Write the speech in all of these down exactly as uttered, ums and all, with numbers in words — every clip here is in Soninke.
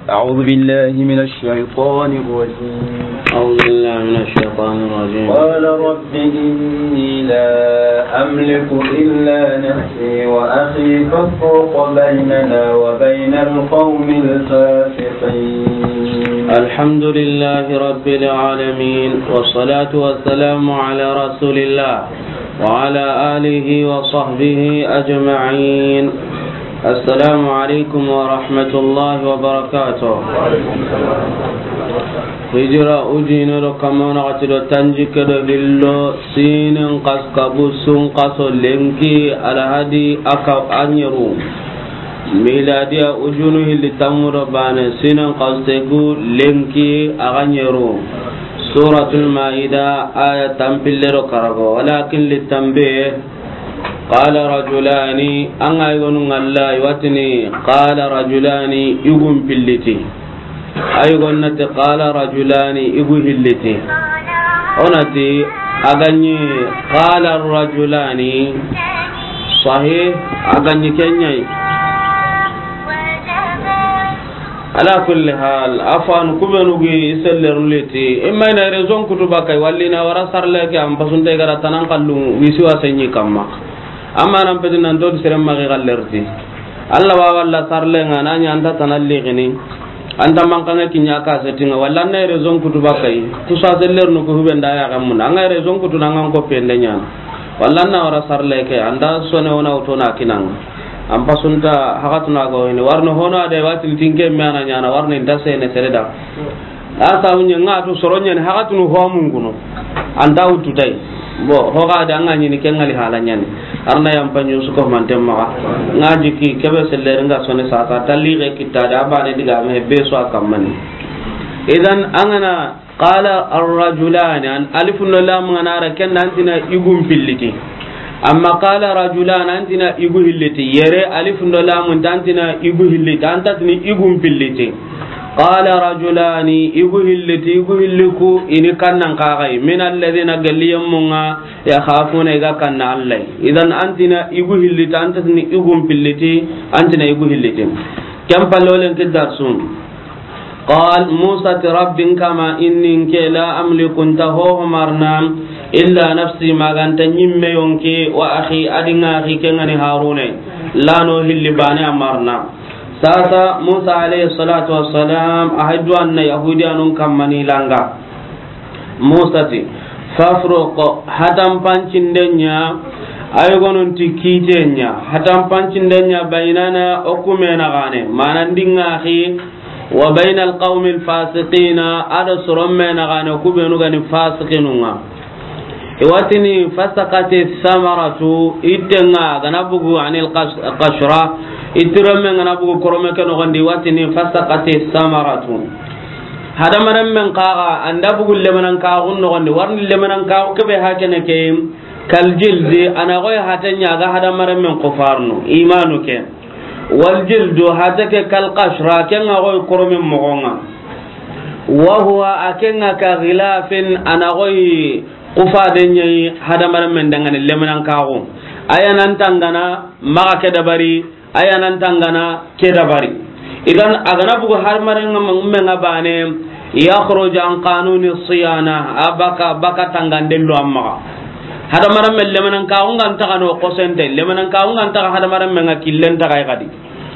أعوذ بالله من الشيطان الرجيم. أعوذ بالله من الشيطان الرجيم. قال رب إني لا أملك إلا نفسي وأخي فافرق بيننا وبين القوم الفاسقين. الحمد لله رب العالمين، والصلاة والسلام على رسول الله وعلى آله وصحبه أجمعين. السلام عليكم ورحمة الله وبركاته. Hijira ujine do kamma naxati do tanjikke do hillo, sinin xas kabu sun xaso lenki alhadi aka a ɲeru. Miladiya ujunu hilli tammu do bane, sinin xas tegu lenki a ga ɲeru. Suratul Maida, aya tanpille do karago, walakin littanbe. Qala rajulani, an ga yigonu ŋalla, i wa tini, qala rajulani, i gun pilliti. A yigonu na ti, qala rajulani, i gu hilliti. O na ti, a ga ɲi, qala rajulani, sahih, a ga ɲi ken ɲa yi. Ala kulli hal, afan kubenu gi i sellerun liti. Imma i na raison kutu bakay, walla i na wara sarle ke an pasunte gara tanan kallu wisi wa senyi kamma. Amma nan peti nan to sere magi gallerti. Alla wa walla sarle nga na ɲa anta tanan ligini. Anta mankanga kinya ka setinga, walla na raison kutu bakay. Kusa sellernu ku hubenda ya gamuna. Anga raison kutu nanga ko pende ɲana. Walla na wara sarle ke, anda sone wona uto na kinanga. An pasunta hakatuna go hini. Warno hono ade watin tinke me ana ɲana, warno inta sene sere da. A sabu ɲa nga tu soro ɲani hakatunu ho mun kuno. Anta wutu tay. Bo, ho ga da nga ɲini ke ŋali hala ɲani. Arna yam panyo su ko man temma. Nga jiki kebe seller nga sone sasa, talli ge kitta da bane diga me be so akammani. Idan an ga na Qala ar-rajulani, an alifun do lamun ŋa na ra ken da antina i gun pilliti. Amma qala rajulan antina i gu hilliti. Yere alifun do lamun ta antina i gu hilliti. Anta tini i gun pilliti. Qala rajulani, i gu hilliti, i gu hilliku, i ni kannan kaxay. Min alladhina, galli yemmun ŋa, yakhafuna, i ga kanna Allah. Idan antina i gu hilliti, anta tini i gun pilliti, antina i gu hilliti. Ken pallolen ki darsun. Qal, Musa ti, Rabbi n kama, inni nke, la amliku, nta hoho marna, illa nafsi, ma ga nta ɲimme yonki, wa akhi, a di n axi, ke ŋa ni Haruna. Lano hilli bane a marna. Sasa, Musa alayhi salatu wassalam, a hay duwanna Yahudiyanun kamma ni langa. Musa ti, fafruq, hatanpancinden ɲa, ay gonun ti kiten ɲa, hatanpancinden ɲa, baynana, o kume naxane, mana n di n axi, wa bayna alqawmi alfasiqina, a do soron me naxane, ku benu ga ni fasiqinun ŋa. I wa tini fasaqati samaratu, itten ŋa ga na bugu anil qas-, qashra, ittiron me ga na bugu korome ke noxon di, i wa tini fasaqati samaratu. Hadamaren men kaxa, an da bugu lemenan kaxun noxon di, warni lemenan kaxu kebe hakene ke, kal jildi, a na xoy haten ɲa ga hadamaren men kufarnu, imanu ke. Wal jildu, hate ke kal qashra, ken ŋa xoy koromen moxon ŋa. Wa huwa, a ken ŋa ka ghilafin, a na xoy kufaden ɲa yi hadamaren men dangani lemenan kaxu. A ya nan tangana, maxa ke dabari, a ya nan tangana ke dabari. Idan a ga na bugu hadamaren ŋa men ŋa bane, yakhruj an qanuni siyana, a baka, baka tanganden do a maxa. Hadamaren men lemenan kaxu ŋa nta xa no kosente, lemenan kaxu ŋa nta xa hadamaren men ŋa killen ta xa i xadi.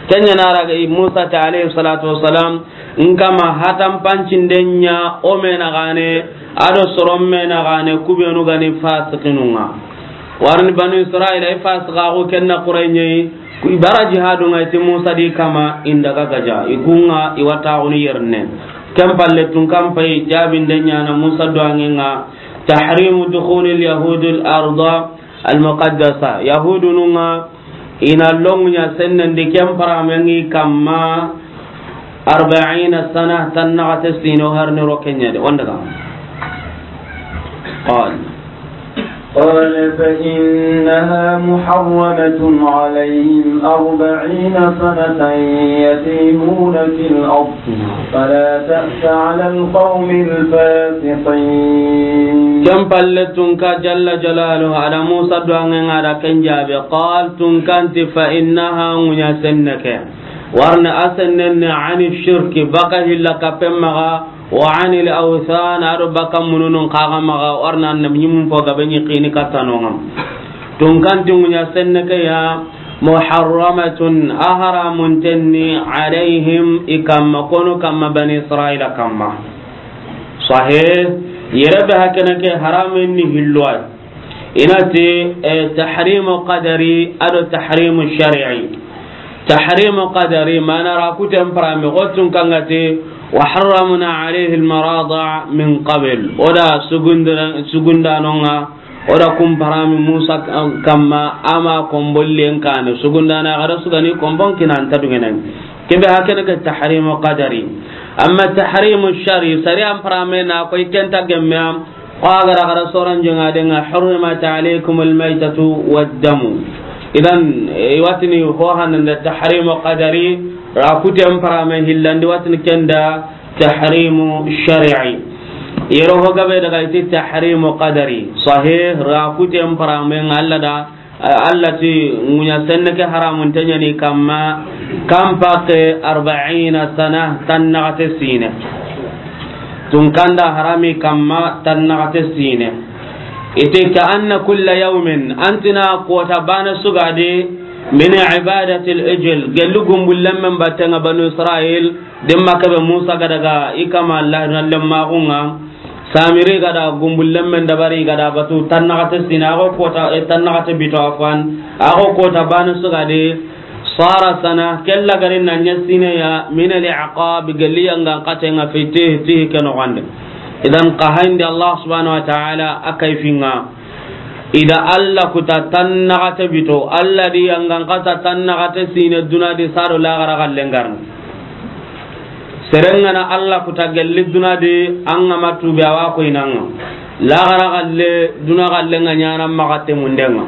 Ken ɲa na ra ga Musa ti alayhi salatu wassalam, n kama hatanpancinden ɲa o me naxane, a do soron me naxane, ku benu ga ni fasiqinun ŋa. Warni Banu Israila, i fasiqaxu ken na Qurayɲe yi, ku i bara jihadun ŋa, i ti Musa di kama, i n daga gaja, i kun ŋa, i wa taxunu yerne. Ken palle tun kan pay, jabinden ɲa na Musa duwangen ŋa, tahrimu dukhuli alyahudi al-arda al-muqaddasa. Yahudunun ŋa, i na longu ɲa sennen di ken paramen ŋi kamma arba'ina sana, tan naxate sino harni ro ken ɲa de. Wanda ga. Qal. قال فإنها محرمة عليهم أربعين سنة يتيهون في الأرض فلا تأس على القوم الفاسقين. Ken palle tun ka jalla jalaluhu, a da Musa duwangen ŋa, a da ken jabe. Qal, tun kan ti, fa innaha, ŋuɲa senne ke. Warna a sennen ni ani shirki, baka hilla kapen maxa, wa anil awthan, a do baka mununun kaga maxa, warna annabi ɲimun fo gabe ɲi kini katanonga. Tunkanti ŋuɲa senne ke ya, muharramatun, a haramunten ni, alayhim, i kamma, konu kamma, bani Israila kamma. Sahih, yere be hakene ke haramen ni hillo ay. Inati, eh, tahrimu qadari, a do tahrimu shar'i. Tahrimu qadari, mana ra kuten parame, xotun kangati, wa harramna alayhi almarada min qabl. O da sugundana-, sugundanonga, o da kun parami Musa kamma, ama kombollen kane, sugundana xara sugani kombon kinan ta dungenen. Kebe hakene ke tahrimu qadari. Amma tahrimu shari, sari an parame na koy kenta gemme am, ko a gara gara soran jonga denga, hurrimat alaykum almaytatu waddamu. Idan, e, watini ho hananda tahrimu qadari, ra kuten parame hillandi watini kenda, tahrimu shar'i. Yero ho gabe daga iti tahrimu qadari. Sahih, ra kuten parame nga Allah da, Allah ti ŋuɲa senne ke haramunte ɲani kamma, kan pake arba'ina sana, tannaxate sine. Tunkanda harami kamma, tannaxate sine. Iti ka anna kulla yawmin, antina kota bana sugadi, min ibadatil ijil, gelli gumbullemmen battenga Banu Israil, Demma kebe Musa ga daga i kama Allah na lemmaxunga, Samiri ga da gumbullemmen dabari ga da batu tannaxate sine, a xo kota, e, tannaxate bito afwan, a xo kota bane sugadi, sara sana, kella gari na ɲa sine ya, min al iqab, gelli yangan xatenga fi tihi, tihi ke noxonde. Idan ka hayndi Allah subhanahu wa ta'ala a kayfinga. Ida Allah kuta tannaxate bito, Allah di yangan xata tannaxate sine duna di sado laxara xallen garni. Serengana Allah kuta gelli duna di, an ga ma tubi awa ko inanga. Laxara xalle, duna xalle nga ɲana maxa temundenga.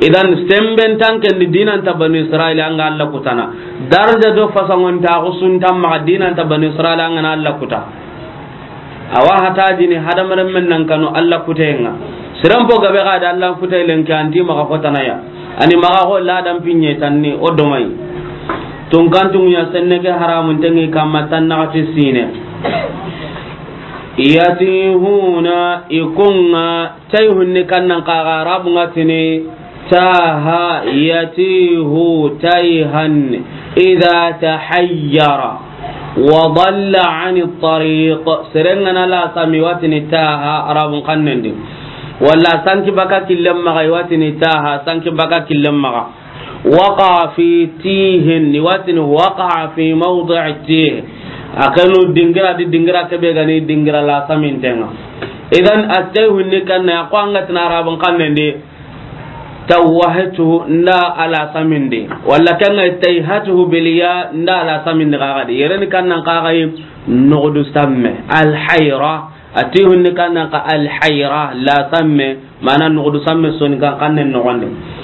Idan semben tanken di dinanta Banu Israil an ga Allah kutana. Darja do fasangon ta xusunta maxa dinanta Banu Israil an ga na Allah kuta. Awa hata jini hadamaren men nan kanu Allah kutenga. Siran po gabe ga da Allah kutay lenke anti maxa fotana ya. Ani maxa xo ladan pinye tanni o domai. Tunkantu ŋuɲa senne ke haramunte ŋi kamma tannaxati sine. Yatihuna ikunga tayhunni kannan kaga Arabunga tini taha yatihu tayhan idha tahayyara wa dalla ani tariq. Serengana la sami watini taha Arabun kannendi. Walla sanki baka killem maxa watini taha sanki baka killem maxa. Waqa fi tihin, ni watini waqa fi mawdi'i tih. A kanu dingira di dingira kebe gani dingira la samintenga. Idan attayhunni kanna ya ko anga tina Arabun kannendi. Tawahtu nda ala samindi. Walla kanga tayhatuhu bil ya nda ala samindi kagadi. Yereni kannan kagai noxdu samme. Al hayra. Atihunni kannan ka al hayra la samme. Mana noxdu samme soni kan kannen noxonde.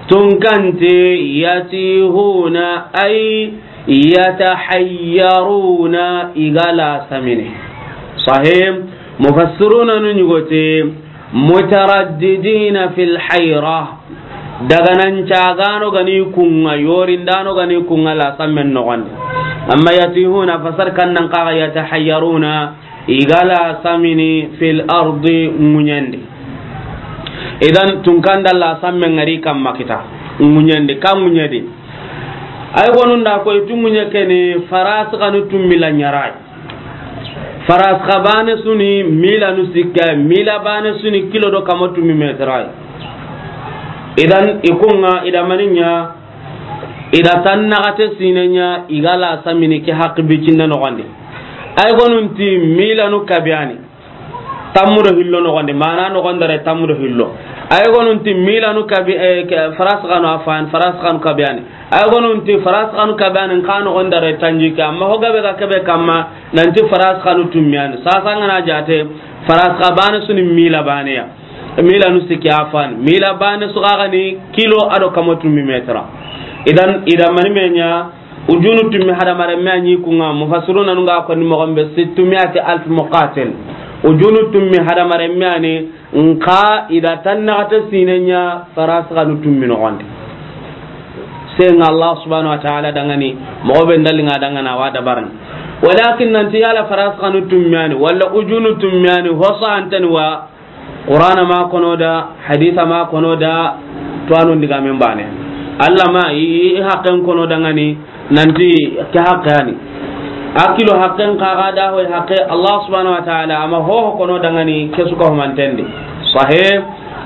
Tunkanti yatihuna ay yatahayyaruna igala samini. Sahih. Mufassiruna nu ɲugote mutaraddidina fil hayra. Daga nan cagano gani kunga, yorindano gani kunga la sammen noxonde. Amma yatihuna fasar kannan kaga yatahayyaruna. Igala samini fil ardi ŋuɲandi. Idan tunkanda la samme ngari kamma kita ŋuɲandi ka ŋuɲadi. Ay gonunda koy tu ŋuɲe keni faras kanu tummila ɲaray. Faras kabane suni mila nu sikka mila bane suni kilo do kama tummi metray. Idan ikunga idamaninya. Ida tannaxate sinenya igala samini ke haqqi bicinna noxondi. Ay gonunti milanu kabiyani tammudo hillo noxondi mana noxondare tammudo hillo. Ay gonunti milanu kabi eh, faras kanu afan faras kanu kabiyani. Ay gonunti faras kanu kabiyani nka noxondare tanjike amma ho gabe ga kebe kamma nanti faras kanu tummiyani sasa ngana jate faras kabane suni mila baneya. Milanu sikki afan mila bane sugagani kilo ado kama tummi metra. Idan idan mani menya ujunu tummi hadamaren me anyi kunga mufassiruna nunga ko ni mogon be sittumiyati alf muqatil. Ujunu tummi hadamaren me ani nka ida tannaxate sinenya faras kanu tummi noxonde. Tenga Allah subhanahu wa ta'ala dangani, moxo be ndali nga dangana wa dabaran. Walakin nanti yala faras kanu tummiyani, wala ujunu tummiyani, hosa antani wa Qur'ana ma kono da, haditha ma kono da, to anu ndiga men bane. Allah ma i, i haqqen kono dangani, nanti ke haqqani. Akilo haqqen kaga da hoy haqqe Allah subhanahu wa ta'ala, ama ho ho kono dangani, ke suka humantendi. Sahih,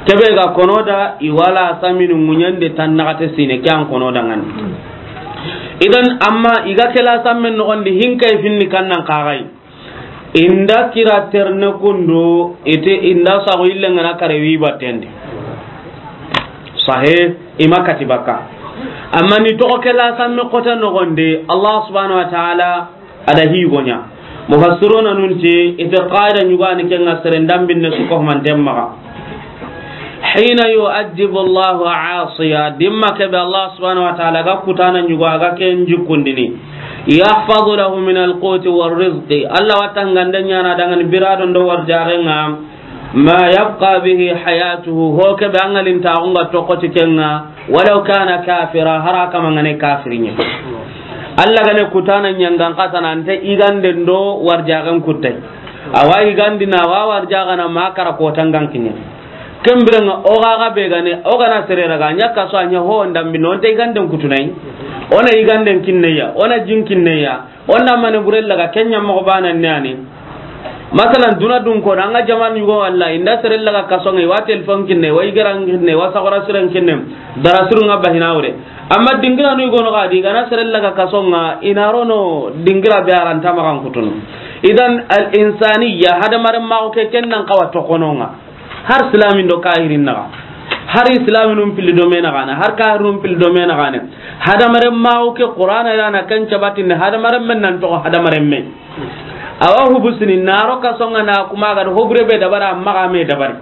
kebe ga kono da, i wala saminu munyande tan naxate sine, ke an kono dangani. Idan, amma, iga kela sammen noxondi, hinkay finni kannan kagai. Inda kira terne kundu, ite inda sago ille ngana kare wi battendi. Sahe, ima kati baka. Amma ni toxo kela samme kota noxondi, Allah subhanahu wa ta'ala, ada higonya. Mufassiruna nunti, ite qaida nyugani kenga seren dambinne suko manten maga. Hina yu'adhibu Allahu 'asiya, dimma kebe Allah subhanahu wa ta'ala ga kutana nyugo aga ken jikundini. Yahfazu lahu min al-quti war rizqi. Allah watangande nyana dangan birado ndo warjarenga. Ma yabqa bihi hayatuhu, ho kebe angalin taxunga tokoti kenga, walau kana kafira, hara kama ngane kafirinya. Allah gane kutana nyangan katana ante igande ndo warjagan kutai. Awa igandi na wa warjagana makara kotangan kinya. Kembirenga oga ga be gane, oga na sere raga, nya kaso anya ho ndambi no nte iganden kutunai. Ona iganden kinneya, ona jin kinneya, ona mane burella ga kenya mo bana nyani. Masalan, duna dun ko, anga jamanu yugo walla, inda sere laga kasonga, wa telefon kinne, wa igaran kinne, wa sagora siren kinne, dara surunga bahina wure. Amma dingira nu yugo no gadi, gana sere laga kasonga, inarono dingira be aranta magan kutunu. Idan al-insaniya, hadamaren mago ke kennan kawa tokononga. Har islamin do kahirin naga. Har islaminun pili do mena gana, har kahirun pili do mena gana. Hadamaren mago ke Qur'ana irana kan cabatin hadamaren men nan to hadamaren men. Awa hubusini naro kasonga na kuma ga hobure be dabara amma ga me dabari.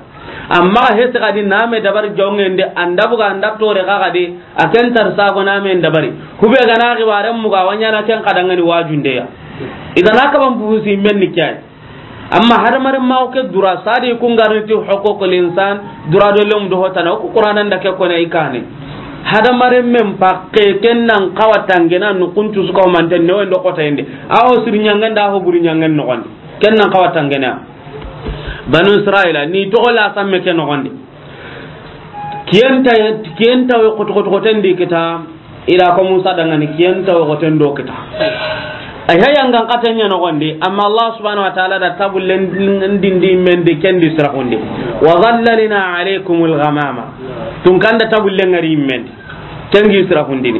Amma ga hesi gadi na me dabari jongende anda buga anda tore ga gadi aken tar sago na me dabari. Hube ga na gibaren muga wanya na ken kadangani wajunde ya. Idan aka ban busi men ni kiyai. Amma hadamaren mago ke dura sadi kun garni ti huququl insan dura do lem do hotana ku Qur'anan da ke kone ikane. Hadamaren men pakke kennan kawa tangena nu kuntu suka manten ne wendo kota inde. Awo sir nyangen da ho buri nyangen no gonde. Kennan kawa tangena. Banu Israila ni to la samme ke no gonde. Kiyenta, kiyenta we koto koto koten di kita, ila ko Musa dangani kiyenta we koten do kita. Ay hayangan katanya no gonde, amma Allah subhanahu wa ta'ala da tabullen dindi men de kendi sirahundi. Wa dhallalna alaykumul ghamama. Tun kanda tabullen ngari men. Kengi sirahundini.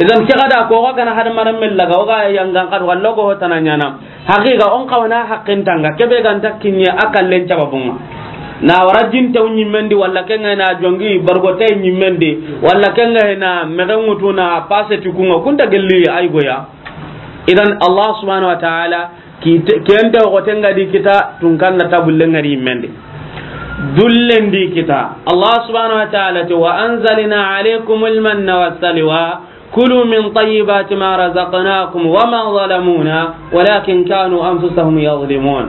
Idan ke gada ko ga kana hadamaren men laga, o ga yangan kat wallo go tananyana. Haqiqa on kawana haqqin tanga kebe ganta kinye akallen cababunga. Na wara jin taw nyimmendi walla kenga na jongi bargo tay nyimmendi walla kenga na megen ŋutu na passe tukunga kunta gelli ay goya. Idan Allah subhanahu wa ta'ala kente ko tenga di kita tunkan na tabulle ngari mendi. Dullen di kita Allah subhanahu wa ta'ala ti wa anzalna alaykumul manna wassalwa. Kulu min tayyibati ma razaqnakum wa ma zalamuna walakin kanu anfusahum yazlimun.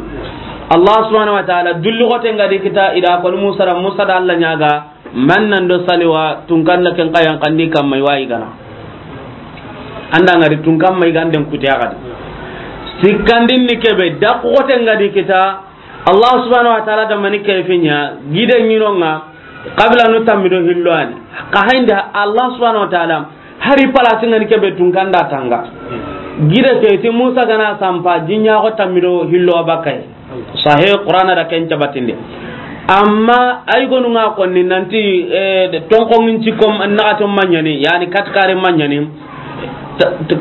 Allah subhanahu wa ta'ala dullu gote ngadi kita ida ko Musa ra Musa da Allah nyaga mannan do saliwa tunkan na ken kayan kandi kamma wayi gana. Anda ngari tunkan mai ganden kutiya gadi. Sikkandin ni kebe da gote ngadi kita Allah subhanahu wa ta'ala da mani kayfinya gide nyinonga. Kabila nu tammido hillo ani. Ka haynde Allah subhanahu wa ta'ala hari palasi ngani kebe tunkanda tanga. Gide ke ti Musa gana sampa jinya ko tammido hillo bakay. Sahih Qur'ana da ken cabatinde. Amma ay gonu nga konni nanti eh, tonko ngin cikom naxato manyani yani katkare manyani.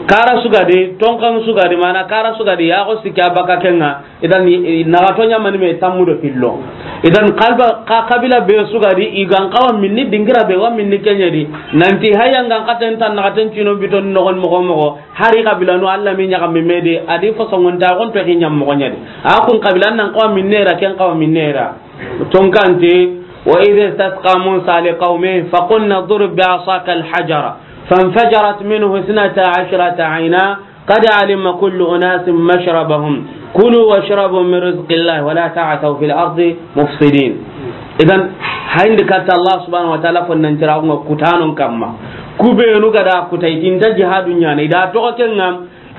Kara sugadi tonkan sugadi mana kara sugadi ya ko sikya baka kenga. Idan naxato ɲamani me tammudo hillo. Idan kalba ka kabila be sugadi igan kawa minni dingira be wa minni kenyadi. Nanti haya ngan katen tan naxaten cino biton nogon mogo mogo. Hari kabila no Allah mi ɲaga mi mede adi fosongon ta gon to hinyam mogo ɲadi. A kun kabila nan kawa minnera ken kawa minnera. Tonkante wa idh istasqa Musa liqawmihi faqulna idrib bi'asaka al-hajara fanfajarat minhu ithnata ashrata ayna. قد علم كل أناس مشربهم كلوا واشربوا من رزق الله ولا تعثوا في الأرض مفسدين. Idan hayndi katta Allah subhanahu wa ta'ala fonnan tiraxunga kutanon kamma. Ku beenu ga da kuta i ti nta jihadu ɲaana, i da toxo ke ŋa,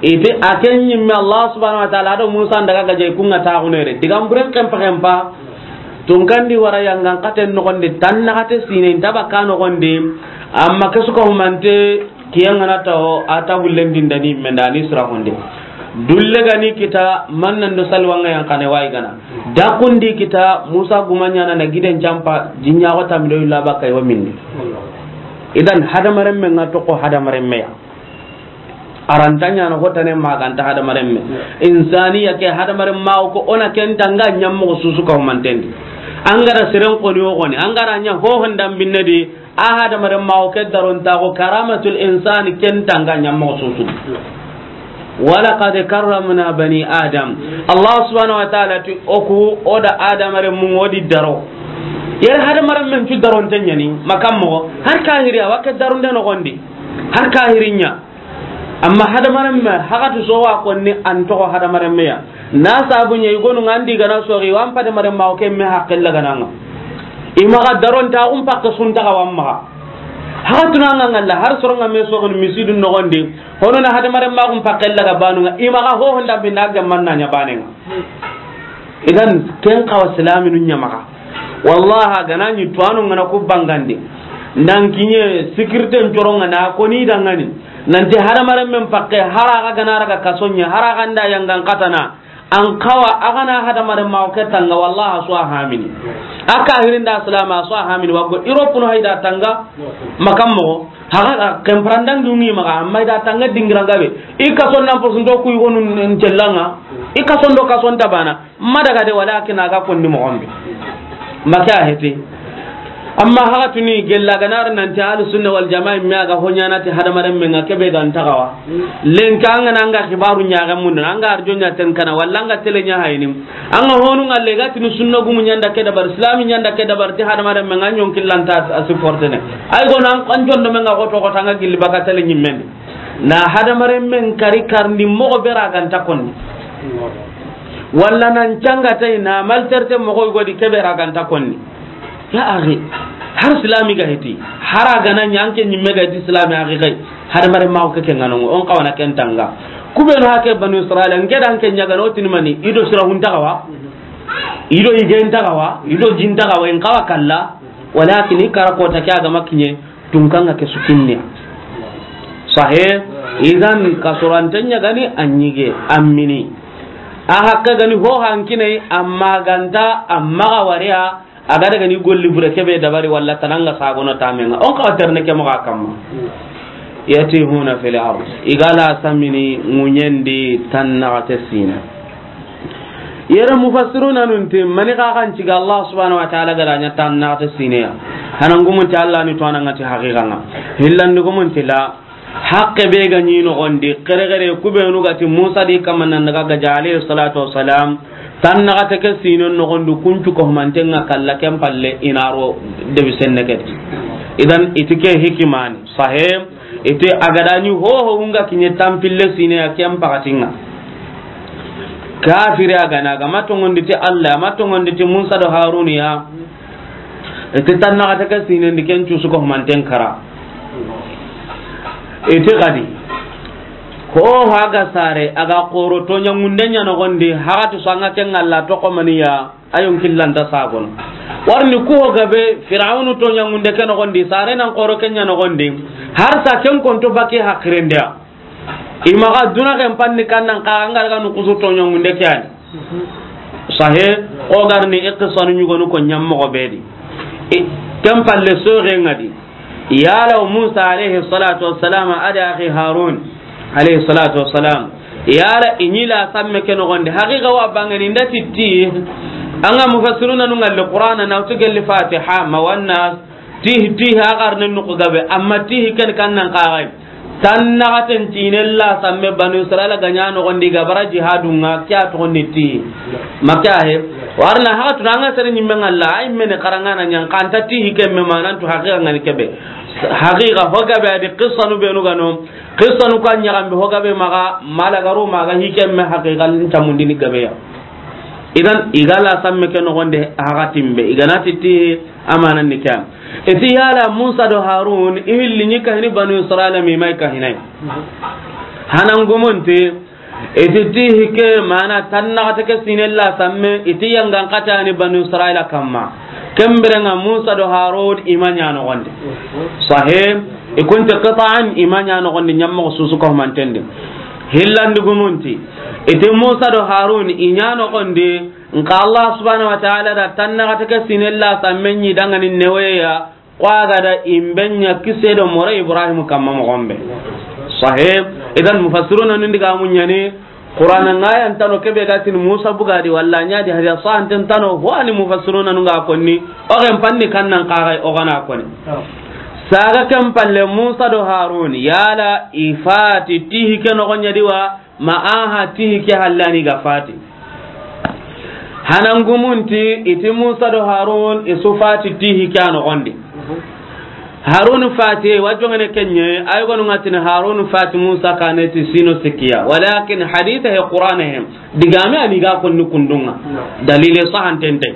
i ti a ke ɲimme Allah subhanahu wa ta'ala do Musa n daga gaja i ku ŋa taaxunere. Digan buren kempa kempa, tunkandi wara yangan xaten noxondi, tan naxate sine, i nta bakka noxondi, amma ke su ka humante, kiyen ŋa na tawo, a ta bullen dindani, mendani sira honde. Dulle ga ni kita, mannan do salwa ŋa yan xane wa i gana. Dakundi kita, Musa guma ɲaana na giden campa, jinɲaxo tammi do illa bakka i wa minni. Idan, hadamarenme ŋa toxo hadamarenme ya. A ra nta ɲaana hotane ma ga nta hadamarenme. Insaniya ke hadamarenme o ko o na ken tanga ɲammoxo su su ka humantendi. An ga da seren xoni o xoni, an ga da ɲa ho hondan binne di, a hadamarenme o ke darontaxo karamatul insani ken tanga ɲammoxo su su. Walaqad karramna bani Adam. Allah subhanahu wa ta'ala ti o ku o da hadamarenmu o di daro. Yere hadamarenmen cu daronte ɲaani, makan moxo, har kahiri a wa ke daronde noxondi. Har kahiri ɲa. Amma hadamarenme, haxati so wa konni an toxo hadamarenme ya. Na sabu ɲa i gonu ŋa ndi gana soxi, wa n padamarenme o ke me haqqe la gana ŋa. I maxa darontaxun pakke suntaxa wa maxa. Haxatuna ŋa ŋalla, har soronga me soxini misidu noxondi, hono na hadamarenmaxun pakke la ga banu ŋa, i maxa ho honda binda ga manna ɲa bane ŋa. Idan, ken xawa silaminu ɲa maxa. Wallahi, a gana ɲi tuwanu ŋa na ku bangandi. Nan kiɲe, sikirten coronga na koni dangani. Nanti hadamarenmen pakke, hara ga gana raga kaso ɲa, hara ga nda yangan xatana. An xawa, a gana hadamarenme o ke tanga, wallahi, a su a hamini. A kahirin da silama, a su a hamini. Wa go Europe no hayda tanga, makan moxo. Haga, a kemprandan dungi maxa, amma i da tanga dingiran gabe. I kason nan posunto ku i gonu n-, n-, cellanga. I kason do kason tabana. Ma daga de, walakin a ga kondi moxon be. Maka heti. Amma haxatuni gella ga na ri nanti Ahlus Sunna wal Jamaa me a ga ho ɲaana ti hadamarenme ŋa ke be ga nta xawa. Lenki an ga na an ga xibaru ɲaxe mundu, an ga arjo ɲa ten kana, walla an ga tele ɲa hayini. An ga honu ŋalle ga tini sunna gumu ɲa nda ke dabar, islami ɲa nda ke dabar, ti hadamarenme ŋa ɲon killanta a supportene. Ay gona an, an jondo me ŋa xoto xoto an ga gilli baka tele ɲimmendi. Na hadamarenmen kari karndi moxo be ra ga nta konni. Walla nan canga tay na malterte moxo godi ke be ra ga nta konni. Ya axi, har silami ga heti, hara gana ɲa an ke ɲimme ga heti silami axi xay, hadamarenme o ke ke ŋa no, o n xawana ken tanga. Ku be no hake Banu Israila, n ke da n ke ɲa ga no tini mani, i do sira hun ta xawa, i do i gen ta xawa, i do jin ta xawa, i n xawa kalla, walakin i kara kota ke a ga ma kiɲe, tunkanga ke su kinne. Sahe, idan kasurante ɲa gani a ɲige, a mini. A hakke gani ho hankinai, amma ga nta, amma ga wariya, A ga daga ni golli bure ke be dabari walla tananga sagono tamenga. O n xawa terne ke moxo kamma. Yatihuna fil ard. I ga la samini ŋuɲendi tan naxate sine. Yere mufassiruna nun ti, mani xa xan ciga Allah subhanahu wa ta'ala ga da ɲa tan naxate sine ya. Hanan gumun ti Allah ni to ananga ti haqiqa ŋa. Hillandi gumun ti la. Haqqe be ga ɲi noxondi, xerexere ku be nu ga ti Musa di kamma nan daga gaja alayhi salatu wassalam, tan naxate ke sino noxondi, kuncu ko humanten ŋa kalla ken palle i na ro debi senne ke. Idan i ti ke hikimani, sahe, i ti a ga da ɲi ho ho ŋa kiɲe tampille sine ya ken paxatin ŋa. Kafiri a ga na ga ma tongondi ti Allah, ma tongondi ti Musa do Haruna ya. Iti tan naxate ke sinendi ken cusu ko humanten kara. Iti xadi. Ho haga sare, a ga xoro toɲangunde ɲa noxondi, haxati so anga ken ŋalla toxo maniya, a yon killanta sagono. Warni ku ho gabe, Firawunu toɲangunde ke noxondi, sare nan xoro ke ɲa noxondi, har sa ken konto baki haqirendeya. I maxa duna ken panni kannan xa, an ga daga nu kusu toɲangunde ke ani. Sahe, o garni i qissanu ɲugonu ko ɲammoxo be di. I, ken palle soxe ŋa di. Yala Musa alayhi salatu wassalam, a da axi Harun alayhi salatu wassalam. Yala i ɲi la samme ke noxondi. Haqiqa wa bangani nda ti ti. An ga mufassiruna nu ŋalli Qur'ana na wutu gelli Fatiha, ma wannas. Tihi, tihi, a xarne nuku gabe, amma tihi ken kan nan xaxay. Tan naxaten tinen la samme Banu Israila ga ɲa noxondi ga bara jihadu ŋa, ke a toxondi tihi. Maka he, warna haxatuna anga sere ɲimme ŋalla, ay mene xarangana ɲan, kanta tihi ken me manantu haqiqa ŋani kebe. Haqiqa ho gabe a di qissanu be nu ga no, qissanu ka ɲaxambe ho gabe maxa, malagaru maxa hi ken me haqiqa n tamundini gabe ya. Idan, i ga la samme ke noxon di hakatin be, i ga na ti ti amanan ni ke ya. I ti yala Musa do Harun, i hilli ɲi kahini Banu Israila mi ma i kahinay. Hanan gumun ti, i ti ti hike mana tannaxate ke sine la samme, i ti yangan katani Banu Israila kamma. Ken biren ŋa Musa do Harun i ma ɲa noxon di. Sahih, i kun ti qita'an i ma ɲa noxon di, ɲammoxo susu ko manten di. Hillandi gumun ti, i ti Musa do Harun i ɲa noxon di, nka Allah subhanahu wa ta'ala da tannaxate ke sine la samme ɲi dangani neweya, ko a ga da i be ɲa kise do moro Ibrahim kamma moxon be. Sahih. Idan mufassiruna nun diga mun ɲa ni, Qur'ana ŋa yan tano ke be ga tin Musa buga di walla ɲa di hadiya sahanten tano, ho ani mufassiruna nun ga konni, o gen panni kannan kaga o gana konni. Saga ken palle Musa do Harun, yala i fati ti hike noxon ɲa di wa, ma aha ti hike hallani ga fati. Hanan gumun ti, i ti Musa do Harun i su fati ti hike a noxon di. Harun fati, wa jongene kenye, ay gonu ŋa tini Harun fati Musa kane ti sino sikiya. Walakin haditha he Qur'ana he, digame ani ga konni kundunga. Dalile sahanten te.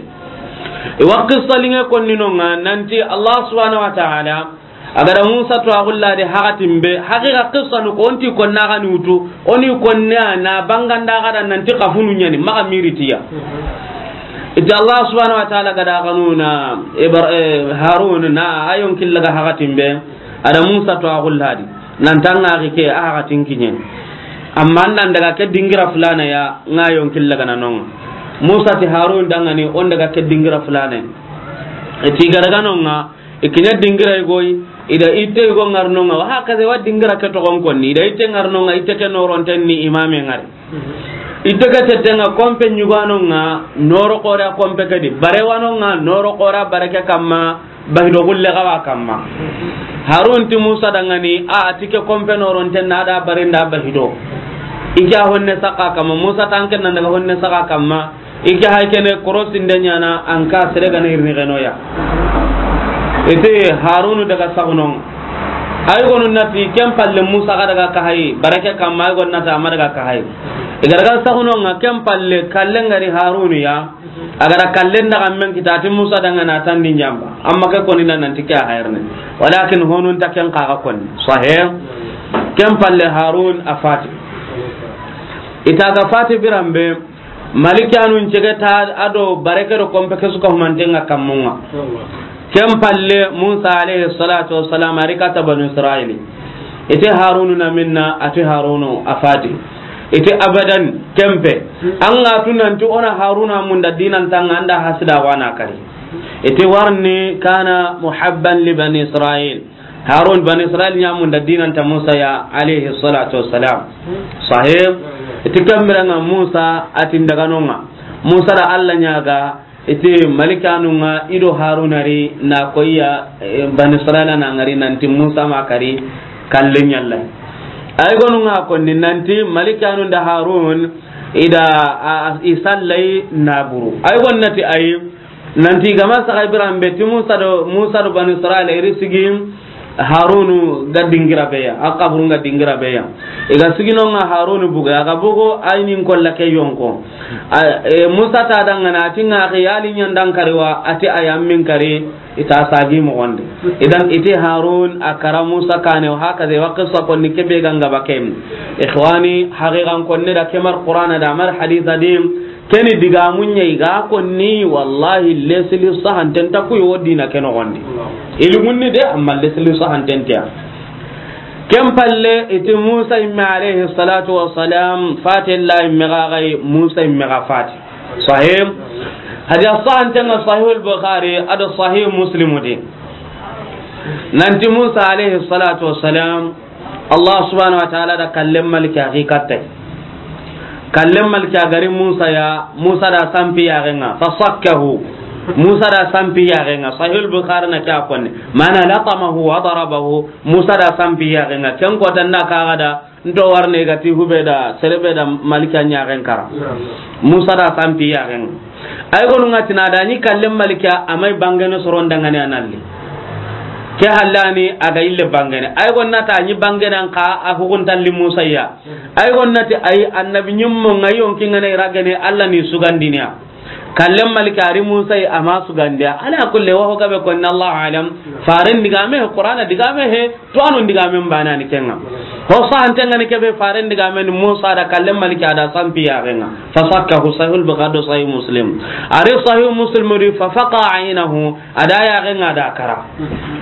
I wa qissa linge konni nonga, nanti Allah subhanahu wa ta'ala, a ga da Musa to a gulla de hakatin be, haqiqa qissa nu ko onti konna ga ni wutu, oni konna na banganda ga da nanti kafunu ɲa ni, maxa miritiya. I ti Allah subhanahu wa ta'ala ga da ganuna, Ibra-, eh, Harun na a yon killaga hakatin be, a da Musa to a gulla di, nan tanga ke a hakatin kiɲe. Amma nan daga ke dingira fulana ya, ŋa yon killaga na nonga. Musa ti Harun dangani, on daga ke dingira fulana. I ti ga daga nonga, i kiɲa dingira i goy, i da itte i go ŋarnonga, wa hakaza wa dingira ke toxon konni, i da itte ŋarnonga, itte ke noronten ni imame ŋari. Itte ke tettenga kompe ɲuganonga, noro xora kompe ke di, bare wanonga, noro xora bare ke kamma, bahido gulle ga wa kamma. Harun ti Musa dangani, a, a ti ke kompe noronten na da bare nda bahido. I ke a honne saka kamma, Musa tanken nan daga honne saka kamma, I ke hay kene korosi nde ɲana an ka sere gana irni geno ya. Ite Harunu daga sagunon. Ay gonu nati ken palle Musa ga daga ka hay, barake kamma ay gonu nati ama daga ka hay. I ga daga sagunon ŋa ken palle kalle ngari Harunu ya. A ga da kalle ndaga men kita ti Musa danga na tandi njamba. Amma ke koni na nanti ke a hayrne. Walakin honun ta ken kaga koni. Sahih. Ken palle Harun a fati. Ita ga fati birambe. Malikanun cege ta a do bareke do kompe ke su ka humanten ŋa kammun ŋa. Ken palle Musa alayhi salatu wassalam a ri kata Banu Israili. Ite Harunu na minna, ati Harunu a fati. Ite abadan kempe. An ga tu nanti ona Haruna munda dinan tanga anda hasida wana kari. Ite warni kana muhabban li Bani Israil. Harun, Bani Israil ɲa munda dinan ta Musa ya, alayhi salatu wassalam. Sahih. Iti kambira ŋa Musa, ati ndaga no ŋa. Musa da Allah ɲaga, iti malikanu ŋa, i do Haruna ri, na koya, eh, Bani Israil na ŋari, nanti Musa ma kari, kalle ɲalla. Ay gonu ŋa konni, nanti malikanu nda Harun, i da, a, a, i sallai na buru. Ay gonu nati ay, Nanti gama saxa biran be ti Musa do, Musa do Bani Israila i ri sigi Harunu ga dingira be ya, a kaburu ga dingira be ya. I ga sigi no ŋa Harunu buga, a ga bugo aynin kolla ke yonko. A, e, Musa ta dangana, ati ŋa ke yali ɲandan kari wa, ati a yammin kari, ita sagi moxon di. Idan iti Harun a kara Musa kane, wa hakaza wa qissa konni kebe ganga bakem. Ikhwani, haqiqan konni da kemar Qur'ana da mar haditha dim, Keni digamun ɲa i ga konni, wallahi, lesili sahanten ta ku yo dina ke noxon di. Ilimunni de, amma lesili sahanten ta. Ken palle, iti Musa imme alayhi salatu wassalam, fati la imme ga gai, Musa imme ga fati. Sahih. Hadiya sahanten ŋa Sahih al-Bukhari, ado Sahih Muslim di. Nanti Musa alayhi salatu wassalam, Allah subhanahu wa ta'ala da kallem maliki a xi katte. Kallem maliki a gari Musa ya, Musa da sampi ya genga, fa sakkahu. Musa da sampi ya genga, Sahih al-Bukhari na kya konni. Mana latamahu wa darabahu, Musa da sampi ya genga. Ken ko tanda ka gada, nto warne gati hube da, serebe da malika nya gen kara. Musa da sampi ya genga. Ay gonu ŋa tina da ni kallem malika amay bangene soron dangane analli. Ke hallani a ga ille bangene. Ay gonnata ni bangenan ka a hukuntalli Musa ya. Ay gonnati ay annabi nyimmo nga yonki ngana iragene Allah ni sugandiniya. Kallem malika ari Musa yi ama sugandiya. Ala kulli wa ho gabe konni Allah alam. Faren digame he, Qur'ana digame he, to anon digame mbana ni kenga. Ho sahante ngani kebe faren digame ni Musa da kallem malika da sampi ya genga. Fasakkahu, Sahih Bukhari, Sahih Muslim. Ari Sahih Muslim ri fa faqa aynahu. A da yaxen ŋa da kara.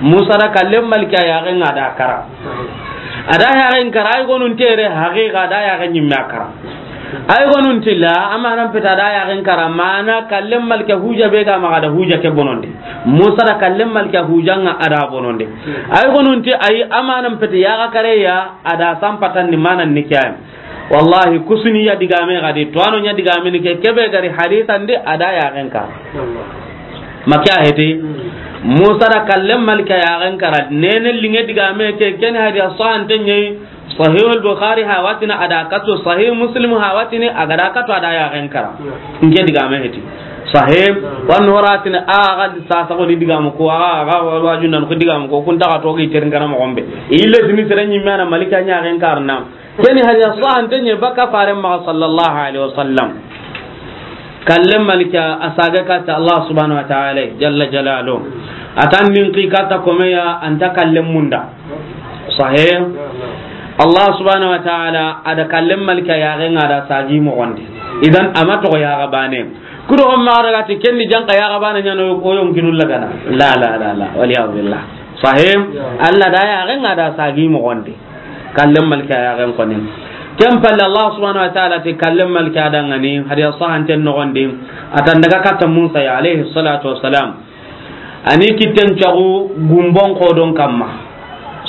Musa da kallem malika yaxen ŋa da kara. A da yaxen kara, ay gonun tere haqiqa da yaxen nyimme a kara. Ay gonun tilla, amanan peta da yaxen kara, mana kallem malika huja be ga maxa da huja ke bonondi. Musa da kallem malika huja ŋa a da bonondi. Ay gonun ti ay amanan peta yaxa kare ya, a da sampatan ni manan ni kiyam. Wallahi, kusuni ya digame gadi, to ano nya digame ni ke, kebe gari hadisan di a da yaxen ka. Makiya heti, Musa da kallem malika yaxen kara, nene linge digame ke, ken hadiya sahante nyai, Sahih al-Bukhari hawatini a da kato, Sahih Muslim hawatini a ga da kato a da yaxen kara. Nke digame heti. Sahih, wan horatini a ga di sasa ko ni digamu ko, a ga, a ga wa-, wajunan ko digamu ko, kun ta ga to gi terin kana mo gombe. Ille sini sere nyimme na malika nya yaxen karna. Keni hadiya sahante nye baka faren maxa sallallahu alaihi wasallam. Kallem malika a saga kata Allah subhanahu wa ta'ala jalla jalalu. Atan nin ki kata komeya anta kallem munda. Sahih. Allah subhanahu wa ta'ala a da kallem malika yaxen ŋa da sagi moxondi. Idan ama to yaxa bane. Kudo on maxa daga ti kenni janka yaxa bane nyano ko yonkinul lagana. La, la, la, la. Wal iyad billah. Sahih. Allah da yaxen ŋa da sagi moxondi. Kallem malika yaxen koni. Ken palle Allah subhanahu wa ta'ala ti kallem malika dangani, hadiya sahanten noxondi, atan daga katta Musa ya alayhi salatu wassalam. Ani kitten cagu gumbon kodon kamma.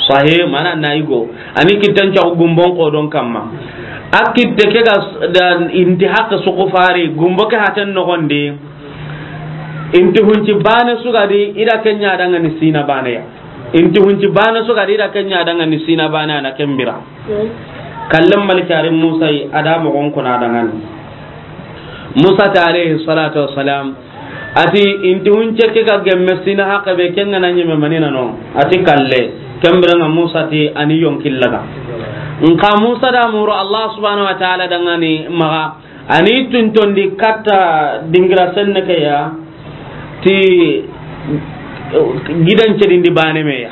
Sahih, mana na igo. Ani kitten cagu gumbon kodon kamma. A kitte ke ga s-, da inti haqe suku fari, gumbo ke haten noxondi. Inti hunci bane sugadi, ida kenya dangani sina bane ya. Inti hunci bane sugadi, ida kenya dangani sina bane ana kembira. Kallem malikari Musa yi, a da mogon kuna dangani. Musa ta alayhi salatu wassalam, ati inti hunce ke ga gemme sina haqe be kenga na nyeme manina no. Ati kalle, kembira nga Musa ti ani yonkillaga. Nka Musa da muru Allah subhanahu wa ta'ala dangani maga, ani tuntondi katta dingira senne ke ya, ti gidan cedindi bane me ya.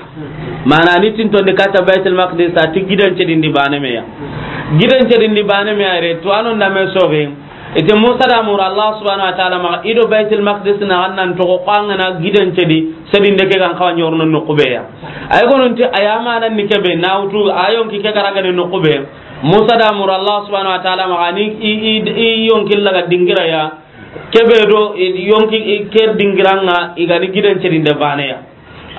Mana ani tuntondi katta Baitul Maqdis, ti gidan cedindi bane me ya. Gidan cedindi bane me ya re, to anon da me soge. Ite Musa da muru Allah subhanahu wa ta'ala maga, ido Baitul Maqdis na annan to ko angana gidan cedi, sedinde ke gan kawa nyorno no kube ya. Ay gonunti ayama nan ni kebe, na wutu ayon ki ke garagane no kube. Musa da muru Allah subhanahu wa ta'ala maga ni i, i, i yonkillaga dingira ya. Kebe do i yonki i ke dingiranga i gani gidan cedinde bane ya.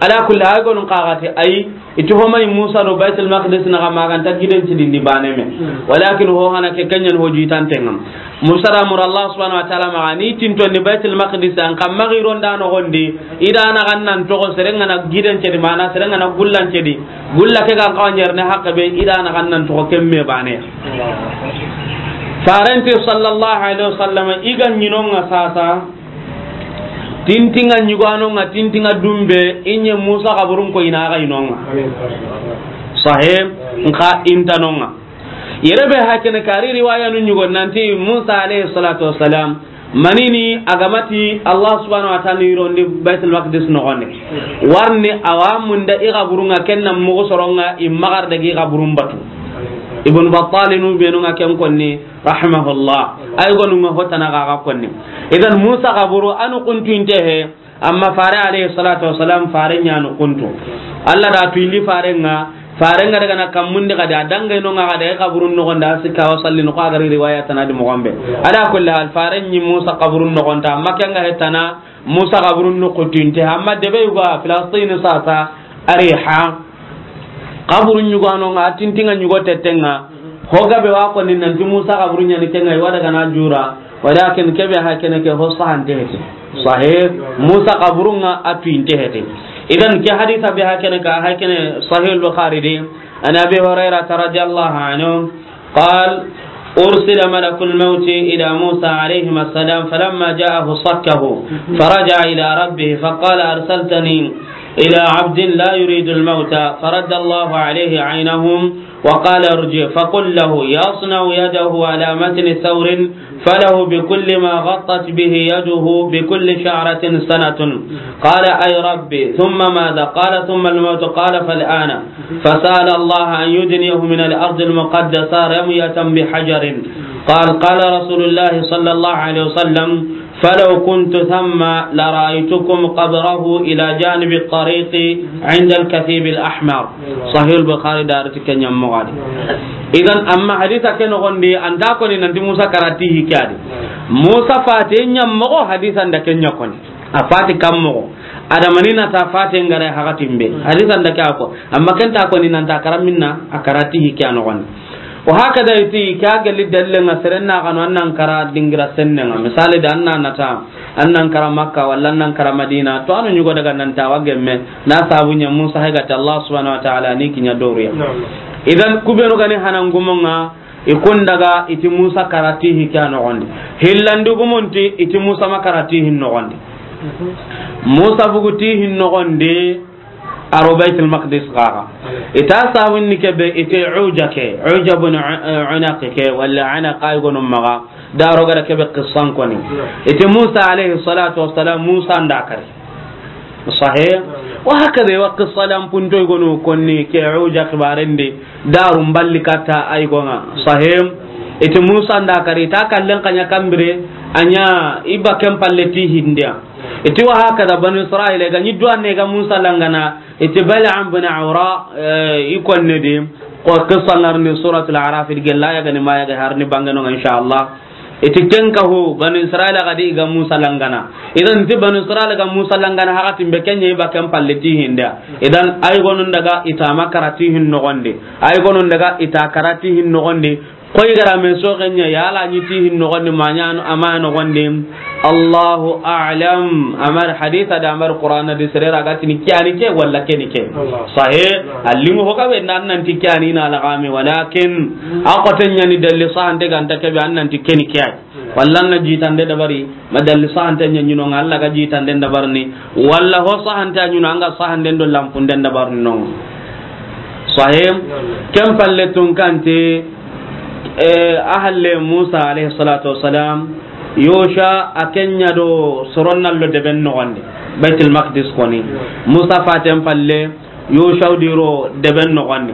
Ala kulli, ay gonun kagati ay, iti homay Musa do Baitul Maqdis na ga maganta gidan cedindi bane me. Walakin ho hana ke kenyan ho jitan tengam. Musa da muru Allah subhanahu wa ta'ala maga ni tinto ni Baitul Maqdis an kam magi ronda no gondi, ida na gannan to ko serenga na gidan cedi mana serenga na gullan cedi. Gulla ke gan kawa nyerne haqe be, ida na gannan to kemme bane. Farenti sallallahu alaihi wasallam iga nyinonga sasa. Tintinga nyuganonga, tintinga dumbe, inye Musa kaburun ko ina ga inonga. Sahih, nka intanonga. Yere be hakene kari riwaya nu nyugo nanti Musa alayhi salatu wassalam, manini agamati Allah subhanahu wa ta'ala ni rondi Baitul Maqdis no gone. Warni awamun da i kaburunga kenna mugo soronga i magar da gi kaburun batu. Ibn Battal nu benu nga ken konni rahimahullah. Ay gonu nga hotana ga ga konni. Idan Musa kaburu anu kuntu inte he. Amma fare alayhi salatu wassalam, fare nyanu kuntu. Allah da tu indi fare nga, fare nga daga na kammundi kadi, a dangay no nga kadi, ay kaburun no gonda, sikka wa salli no, ko agari riwaya tanadi mo gombe. Ala kulli hal, fare nyi Musa kaburun no gonda, amma kenga hetana, Musa kaburun no kutinte, amma debe yugo Filistin sasa, Ariha. Kaburun yugo no nga, tintinga yugo tetenga, Ho gabe wa ko ni nanti Musa kaburu nyani kenga i wa daga na jura, walakin kebe ha kene ke ho sahante hete. Sahih, Musa kaburunga a tuinte hete. Idan ke hadisa be ha kene ka, ha kene Sahih al-Bukhari de, an Abi Hurairah radiyallahu anhu, قال: أرسل ملك الموت إلى موسى عليهما السلام، فلما جاءه صكه، فرجع إلى ربه، فقال: أرسلتني إلى عبد لا يريد الموت، فرد الله عليه عينه وقال: ارجع فقل له يصنع يده على متن ثور، فله بكل ما غطت به يده بكل شعرة سنة. قال: أي ربي، ثم ماذا؟ قال: ثم الموت. قال: فالآن. فسأل الله أن يدنيه من الأرض المقدسة رمية بحجر. قال، قال رسول الله صلى الله عليه وسلم: فلو كنت ثم لرأيتكم قبره إلى جانب الطريق عند الكثيب الأحمر. صحيح البخاري دارت كن يمغادي. Idan, amma hadisa ke noxondi, an ta koni nanti Musa kara ti hi ke ya di. Musa fate ɲa moxo, hadisa nda ke ɲa koni. A fati kam moxo. Adamani na ta fate ngare hakatin be. Hadisa nda ke a ko. Amma ken ta koni nanta kara minna, a kara ti hi ke ya noxondi. Wa hakada iti, ke ya gelli dalile nga seren na kanu an nan kara dingira senne nga. Misali da an na nata, an nan kara Makka, walla an nan kara Madina, to anu ɲugo daga nan ta wa gemme, na sabu ɲa Musa hay ga ti Allah subhanahu wa ta'ala ni kiɲa doruya. Naam. Idan, kubenu gani hanan gumo nga, i kun daga iti Musa kara ti hi ke ya noxondi. Hillandi gumunti iti Musa ma kara ti hin noxondi. Musa bugu ti hin noxondi, a ro Baitul Maqdis gaga. Ita sawinni ke be, ite Uja ke, Uja bin U-, Unaq ke, walla Anaq ay gonu maga, da ro gara ke be qissan koni. Ite Musa alayhi salatu wassalam, Musa nda kari. Sahih? Wa hakada wa qissa lan punto gonu konni ke Uja xibarendi, daru mballi kata ay gonga. Sahih? Ite Musa nda kari, ta kallen kanya kambire, anya iba ken palle ti hindiya. Iti wa hakada Banu Israila ga ni duwanne ga Musa langana, iti Bal'am bin Awra, eh, i konne di, ko qissa ngarni Suratul Araf di gella ya gani ma ya ga harni bangano, insha Allah. Iti ken ka ho, Banu Israila ga di ga Musa langana. Idan ti Banu Israila ga Musa langana, hakatin be kenye iba ken palle ti hindiya. Idan ay gonun daga ita ma kara ti hin noxondi. Ay gonun daga ita kara ti hin noxondi. Koy gara me so kenya yala ni ti hin noxondi, ma ɲa no, ama noxondi. Allahu a'lam. Amar haditha da amar Qur'ana di sere ra ga tini ke ya ni ke walla ke ni ke. Allah. Sahih. Naam. Allimu ho ka be nan, nan ti ke ya ni na lagame, walakin a ko tenya ni dalli sahante ganta ke be an nan ti ke ni ke ya. Walla na jitande dabari, ma dalli sahante ɲa ɲi no nga Allah ga jitande dabarni, walla ho sahante ɲi no anga sahante do lampunde dabarni no. Sahih? Ken palle tun kante, eh, ahalle Musa alayhi salatu wassalam, Yosha a kenya do soronnallo deben noxondi, Baitul Maqdis koni. Musa faten palle, Yoshau di ro deben noxondi.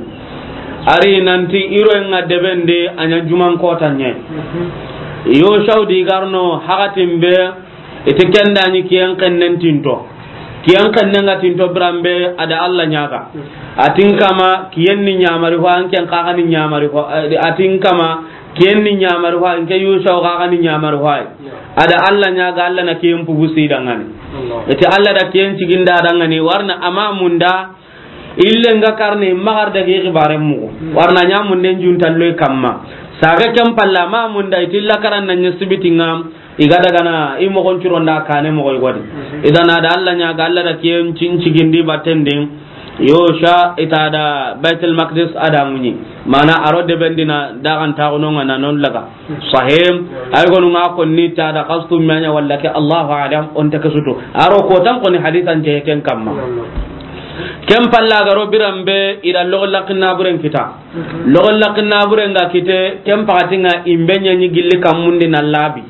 Ari nanti i ro nga deben de a ɲa juman kota ɲe. Yoshau di garno hakatin be, iti kenda ni kiyen kennen tinto. Kiyen kennen ga tinto birambe, ada Allah ɲaga. Atin kama kiyen ni ɲamari ho, an ken kaga ni ɲamari ho. Atin kama kiyen ni ɲamari ho, an ke Yoshau kaga ni ɲamari ho. Ada Allah ɲaga, Allah na kiyen pugusi dangani. Allah. Iti Allah da kiyen ciginda dangani, warna ama munda, ille nga karni magar dagi xibaren mugu. Warna ɲamunden juntalloy kamma. Saga ken palla ma munda itilla karan na ɲa sibitinga, iga dagana i mogon curonda kane mogo igodi. Idan ada Allah ɲaga, Allah da kiyen cin cigindi batten din. Yosha ita da Baitul Maqdis ada ŋuɲi. Mana aro debendina dagan taxunonga na non laga. Sahim, ay gonu nga konni ta da qastu manya walla ke, Allahu a'lam, on ta kasuto. Aro ko tan koni hadisan je ken kamma. Ken palla garo birambe ila logo lakinna buren kita. Logo lakinna buren ga kite, ken pakatinga imbenya ni gilli kammundi na labi.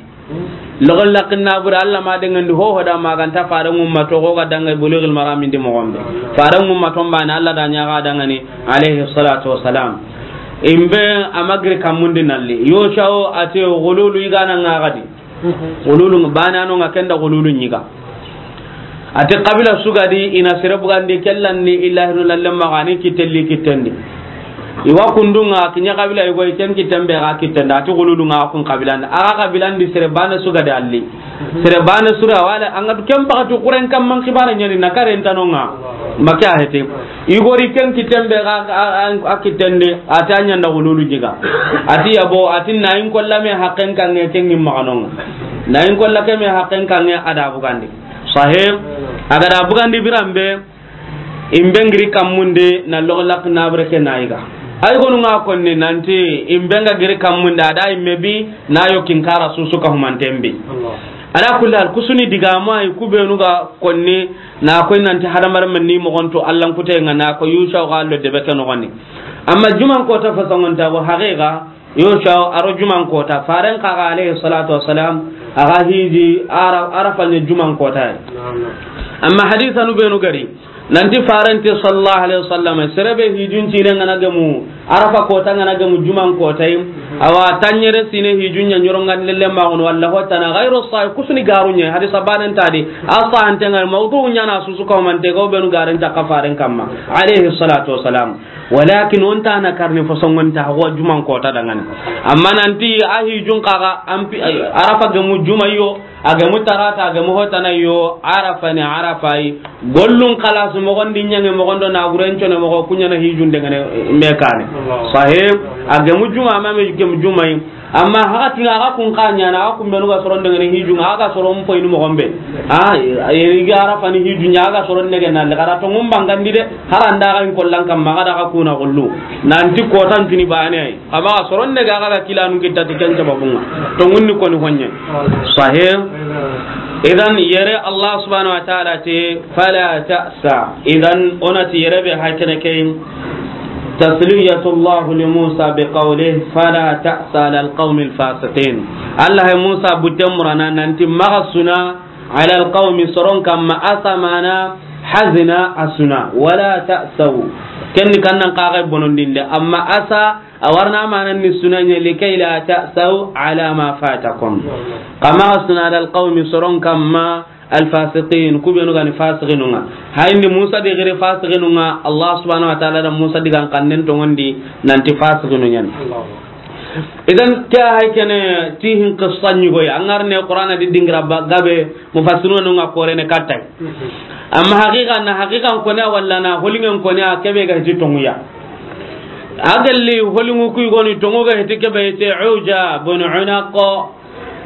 Logo lakinna bure Allah ma dengandi ho ho da maganta fare ngumma to ko ga danga Bulughul Maram ndi mo gombe. Fare ngumma to mbana Allah da ɲaga dangani alayhi salatu wassalam. Imbe amagri kammundi nalli. Yoshau ate gululu igana ngagadi. Gululu bana no nga kenda gululu nyiga. Ate kabila sugadi ina sere bugandi kellanni illahi no lalle magani kitelli kitendi. Iwa kundunga kinya kabila igo ken kitembe ga kitenda ati gululu nga kun kabilandi. Aga kabilandi sere bana sugadi alli. Sere bana sura wala anga ken pakatu kuren kam man kibara nyani na karen tanonga. Maka hete. Igori ken kitembe ga a kitende ati a ɲanda gululu jiga. Ati yabo ati nayin kolla me hakken kange ken ngim maganonga. Nayin kolla ke me hakken kange ada bugandi. Sahib, agada bugandi birambe, imbe ngiri kammunde na logo lak nabre ke nayiga. Ay gonu nga konni nanti imbe nga giri kammunde ada imme bi na yo kinkara susu ka humanten bi. Allah. Ala kulli hal, kusuni digamu ay ku benu ga konni na koy nanti hadamaren ni moxon tu Allan kute ŋa na ko Yusa ga lo debe ke noxoni. Amma juman kota fasongonta go haqiqa, Yusa a ro juman kota, faren xa ga alayhi salatu wassalam, a ga hiji Ara-, Arafa ni juman kota. Amma hadisanu benu gari nanti farenti sallallahu alaihi wasallam, sere be hijun cine ŋa na gemu, Arafa kota ŋa na gemu juman kota yi. Awa tanɲere sine hijun ɲa ɲorongan lelle maxunu, walla hotana gairu sahih, kusuni garu ɲa, hadisa banen tadi, a sahante ŋa, mawdu ɲa na susu kawmante go benu garen ta ka faren kamma, alayhi salatu wassalam. Walakin o nta na karni fo songon ta ho juman kota dangani. Amma nanti a hijun xa ga ampi, Arafa gemu juma yo, a gemu tarata, a gemu hotana yo, Arafa ni Arafa yi. Gollun xalasu moxon di ɲange moxon do na guren cone moxo kuɲana hijun dengene me kane. Sahih, a gemu juma ma me gemu juma yi. Amma haka tuna aga kun kanya na aga kun benu ga soron dengene hijun, aga soron poinu moxon be. A, yeri ga Arafa ni hijun ɲa aga soron dengene na le gara to ngum bangandi de. Haranda ga in kollan kamma ga daga kuna gollu. Nanti kotan tuni bane ay. Amma soron ne ga ga kilanu kita ti ken sababunga. To ngunni koni honye. Sahih. Idan yere Allah subhanahu wa ta'ala te fala ta'sa. Idan onati yere be hakene ke tasliyatullah li Musa bi qawlihi fala ta'sa ala alqawmi alfasiqin. Allah ya Musa butte murana nanti maxa suna ala alqawmi soron kamma, asa mana hazina asuna wala ta'saw. Kenni kannan kaga bonondinde amma asa a warna manan ni sunanya likay la ta'saw ala ma fatakum. Kama asuna ala alqawmi soron kamma alfasiqin, ku benu gani fasiqinunga. Hayni Musa di giri fasiqinunga, Allah subhanahu wa ta'ala da Musa di gan kannen tongondi nanti fasiqinunya. Idan ke hay kene tihin qissa nyugoy angarne Qur'ana di dingira ba gabe mufassiruna nunga korene kattay. Amma haqiqa na haqiqan kone walla na holingen kone a kebe ga ti tonguya. Agalli holingu kuy goni tongu ga hiti kebe ite Uja bin Unaq.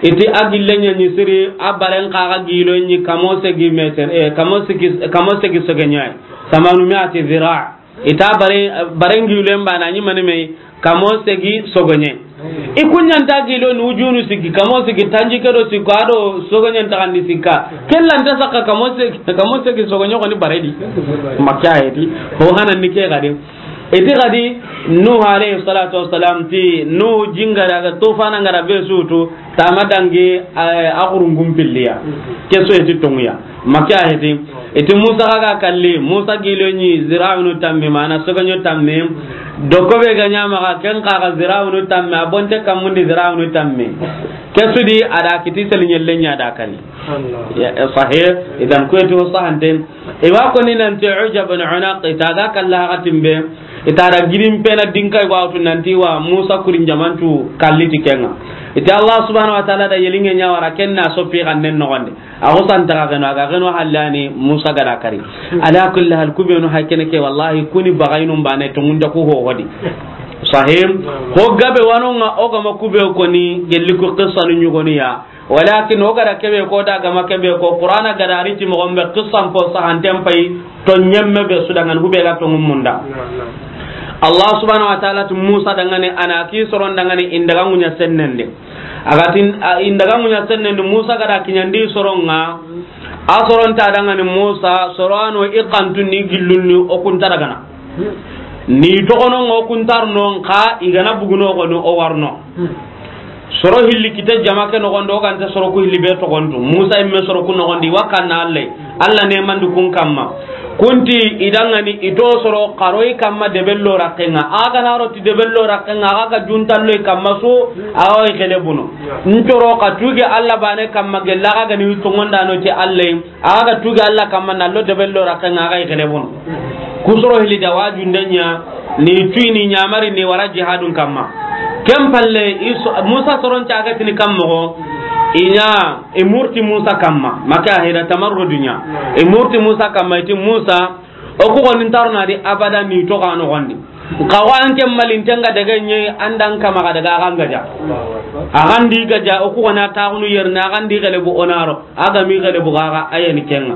Iti agille nya ni siri a baren kaga gilo ni kamo segi meter, eh, kamo segi, kamo segi sogenya. Samanu mi'ati zira. Ita bare, bare ngilen bana ni mani me kamo segi sogonye. I kunyanta gilo ni ujunu sigi kamo sigi tanji kedo sigi ado sogonye ta kandi sikka. Kella nta saka kamo segi, kamo segi sogonye ko ni baredi. Makya edi. Ho hanan ni ke gadi. Iti gadi Nuh alayhi salatu wassalam ti Nuh jingara ga tufana ngara be sutu. Tama dangi, eh, a xurungun pilliya. Ke so iti tonguya. Maka heti. Iti Musa ga kalli, Musa gilo ni zirawunu tammi, mana soganyo tammi. Dokobe ga nyama ga ken kaga zirawunu tammi, a bonte kamundi zirawunu tammi. Ke sudi ada kiti seli nyelle nya da kani. Ya, eh, sahih, idan ko eti ho sahanten. Iwa ko ni nanti Uja bin Unaq, ita ga kalla hakatin be, ita da girin pena dinka iwa wutu nanti wa Musa kurin jamantu kalli ti kenga. Ita Allah subhanahu wa ta'ala da yelinge nya wara kenna sopi gannen no gonde. A ko santa ga geno, aga geno hallani Musa gara kari. Ala kulli hal kubenu hakene ke wallahi kuni bagainum bane to ngunda ku ho hodi. Sahim, ho gabe wanonga o gama kube ko ni gelli ko qissa nu nyugoni ya. Walakin o gara kebe ko da gama kebe ko Qur'ana gara riti mo gombe qissan ko sahanten pay to nyemme be su dangan hube ga to munda. Allah subhanahu wa ta'ala tu Musa dangane ana ki soron dangane indaga munya sennende. Agatin, a, indaga munya sennende Musa gara kinyandi soronga. A soron ta dangane Musa sorano iqantu ni gillunni o kunta dagana. Ni togono ngo kuntarno nka igana buguno gono o warno. Soro hilli kite jama ke nogondo ganta soro ku hilli be togontu. Musa imme soro ku nogondi wakanna Allah. Allah ne mandu kun kamma. Kunti idangani ito soro karoi kamma debello rakenga. Aga na roti debello rakenga aga ga juntallo kamma so awa i kele buno. Ntoro ka tuge Allah bane kamma gella aga gani tongonda no ti Allah. Aga tuge Allah kamma nallo debello rakenga aga i kele buno. Kusoro hili da waju ndenya ni tuini nyamari ni wara jihadun kamma. Kem palle iso, Musa soron caga tini kammo inya imurti Musa kamma maka heda tamarru dunya. Imurti Musa kamma iti Musa o ku gonin tarna di abada ni to kano gondi. Kawa anke malin tenga daga nye andan kama ga daga agan gaja. Agan di gaja o ku gona taxunu yerna agan di gele bu onaro. Aga mi gele bu gaga ayeni kenga.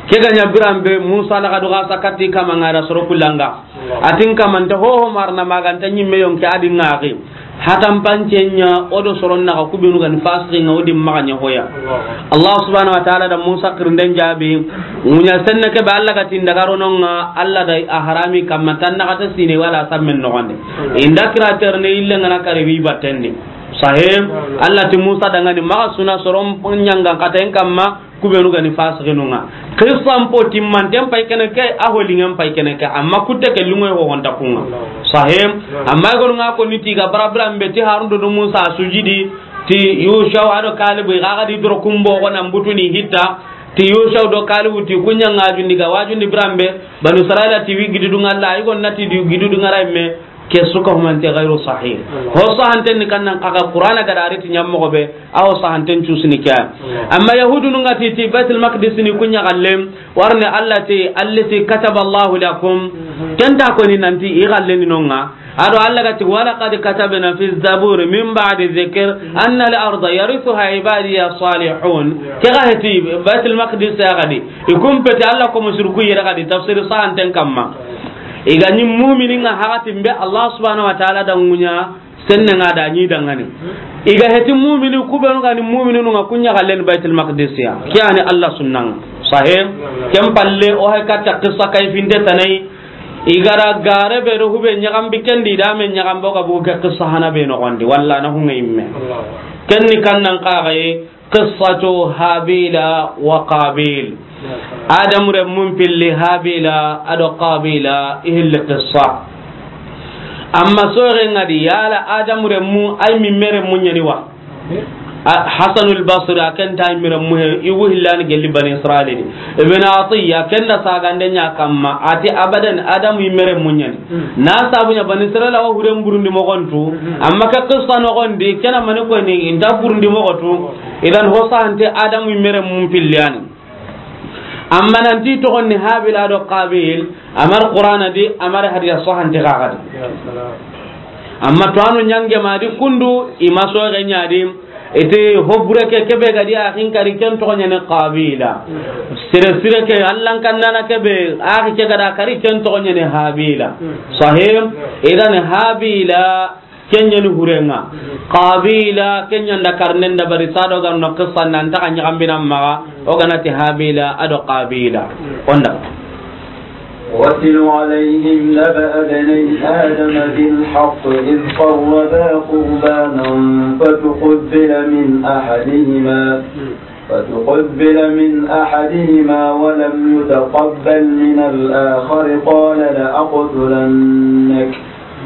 Ke ga nya birambe Musa la ga do ga sakati kama ngara soro kulanga. Atin kamanta ho ho marna maganta nyimme yonke adi ngari. Hatan pancen ɲa o do soron naxa, ku benu ga ni fasiqin ŋa, o di maxa ɲa hoya. Allah subhanahu wa ta'ala da Musa xirinden jaabi. Ŋuɲa senne ke be Allah ga ti n daga ro no ŋa, Allah da a harami kamma tan naxa ta sine wala sammen noxon di. I nda kira terne yille ŋa na kare wi batten di. Sahih. Allah ti Musa danŋa ni maxa suna soron ɲangan xaten kamma, ku benu ga ni fasiqinu ŋa. Qissan po timmanten pay kene ke, a ho liŋen pay kene ke, amma kutte ke liŋoy ho honta ku ŋa. Sahih. Amma i gonu ŋa ko ni ti ga bara biranbe ti Harun do Musa sujidi, ti Yushau a do Kalibu i ga ga di doro kumbo ko nan butuni hitta, ti Yushau do Kalibu ti ku ɲa ŋa jundi ga wajundi biranbe, Banu Israila ti wi gididun ŋa Allah, i gon na ti di gididun ŋa ra i me. Ke su ka humante gairu sahih. Ho sahanten ni kannan kaga Qur'ana ga da ri ti ɲammoxo be, a ho sahanten cusini ke. Amma Yahudunu ŋa ti, ti Baitul Maqdis ni ku ɲa galle, warne Allah ti, "Allati kataba Allahu lakum." Ken ta ko ni nanti i galle ni no ŋa. A do Allah ga ti, "Wa laqad katabna fi zabur min ba'di dhikr anna al-arda yarithuha ibadiya salihun." Ke ga heti Baitul Maqdis ya ga di. I kumpeti Allah ko musriku yere ga di tafsir sahanten kamma. I ga ni mu'minin ŋa hakatin be Allah subhanahu wa ta'ala da ŋuɲa senne ŋa da ɲi dangani. I ga heti mu'mini ku benu ga ni mu'mininu ŋa ku ɲa gallen Baitul Maqdis ya. Ke ya ni Allah sunnan ŋa. Sahih. Ken palle o hay katta qissa kay finde tanai. I ga ra gare be do hube ɲagambi ken di da me ɲagambo ga bu ke qissa hana be noxon di. Walla na hunga imme. Ken ni kannan kaga ye. Qissatu Habila wa Qabil. Adamu renmun pilli Habila a do Qabila i hilli qissa. Amma soxe ŋa di yala Adamu renmu ay mi mere mu ɲani wa? A, Hasanul Basri a ken ta ay mi renmu he, i wu hillani gelli Bani Israili di. Ibn Atiyya ken da sagande ɲa kamma, a ti abadan Adamu i mere mu ɲani. Na sabu ɲa Bani Israila wa huren burundi moxontu, amma ke qissa noxon di, kena mani ko ni inta burundi moxotu, idan ho sahante Adamu i mere mun pilliyani. Amma nanti toxon ni Habila do Qabil, amar Qur'ana di, amar hadisa sahante kaga di. Amma to anu ɲange ma di kundu, i ma soxe ɲa di, ite ho bure ke kebe ga di a xinkari ken toxo ɲani Qabila. Sire sire ke Allan kannana kebe a xi ke ga da kari ken toxo ɲani Habila. Sahih. Idan Habila ken ɲani hurenga. Qabila ken ɲa nda karnen da bari sado ga no qissa nan ta ɲagambina maxa. O ga na ti Habila a do Qabila. Onda. واتل عليهم نبأ ابني آدم بالحق إذ قربا قربانا فتقبل من أحدهما، فتقبل من أحدهما ولم يتقبل من الآخر قال لأقتلنك،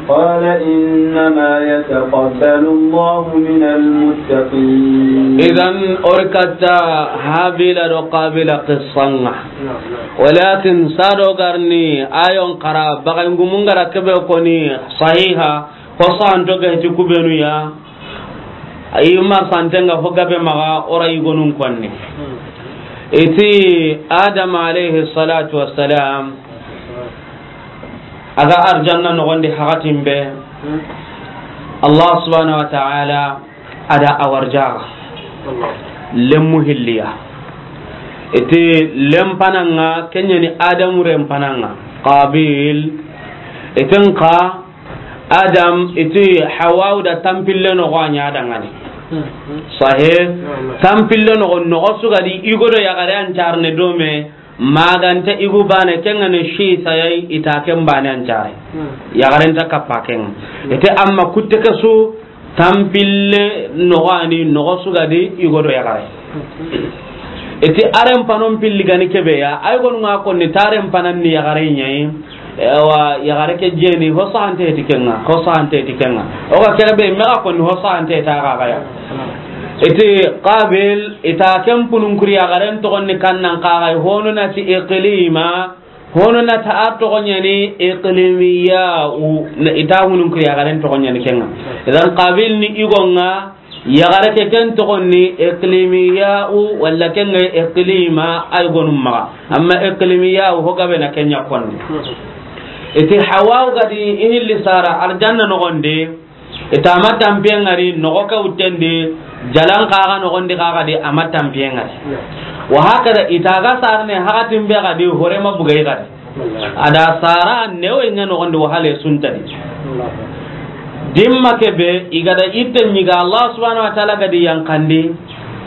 قال إنما يتقبل الله من المتقين. Idan, o ri katta Habila do Qabila qissanga. Walakin sado garni ayon kara bagangumun gara kebe koni sahiha, ko santo ga heti ku benu ya. Ayi mar santenga ho gabe maxa o ra yigonun konni. Iti Adam alayhi salatu wassalam, a ga arjanna noxon di hakatin be, Allah subhanahu wa ta'ala a da a warjaxa. Lemmu hilliya. Iti lempananga, ken ɲani Adamu rempananga. Qabil. Itin xa Adam, iti Hawa da tampille noxo a ɲa dangani. Sahih. Tampille noxo, noxo su ga di i go do yaxare an carne do me. Maganta igu bane kenga ne shi sayai ita ken bane an care. Yaxaren ta kappa kenga. Ite amma kutte ke su tampille noxo ani noxo su ga di i go do yaxare. Iti aren panon pilli gani kebe ya, ay gonu nga konni taren panan ni yaxare ɲayi. Ewa, yaxare ke jeni, ho sahante ti kenga, ho sahante ti kenga. O ga kere be, me ga konni ho sahante ta ga ga ya. Iti Qabil, ita ken punun kuri yaxaren toxon ni kannan xa ga, hono na ti Iqlima, hono na ta a toxon ɲani Iqlimiya, u, na ita hunun kuri yaxaren toxon ɲani kenga. Idan Qabil ni igonga, yaxare ke ken toxon ni Iqlimiya'u, walla ken ga Iqlima, ay gonum maxa. Amma Iqlimiya'u, ho gabe na ken ɲa konni. Iti Hawa ga di i hilli sara arjanna noxon di, ita ma tampiye ngari noxo ke wuttendi, jalan xa ga noxon di xa ga di a ma tampiye ngari. Wa hakada ita ga sarne hakatin be ga di hore ma bugay ga di. A da sara newe ɲa noxon di wahale suntadi. Dimma ke be, i ga da itte ɲiga, Allah subhanahu wa ta'ala ga di yankandi.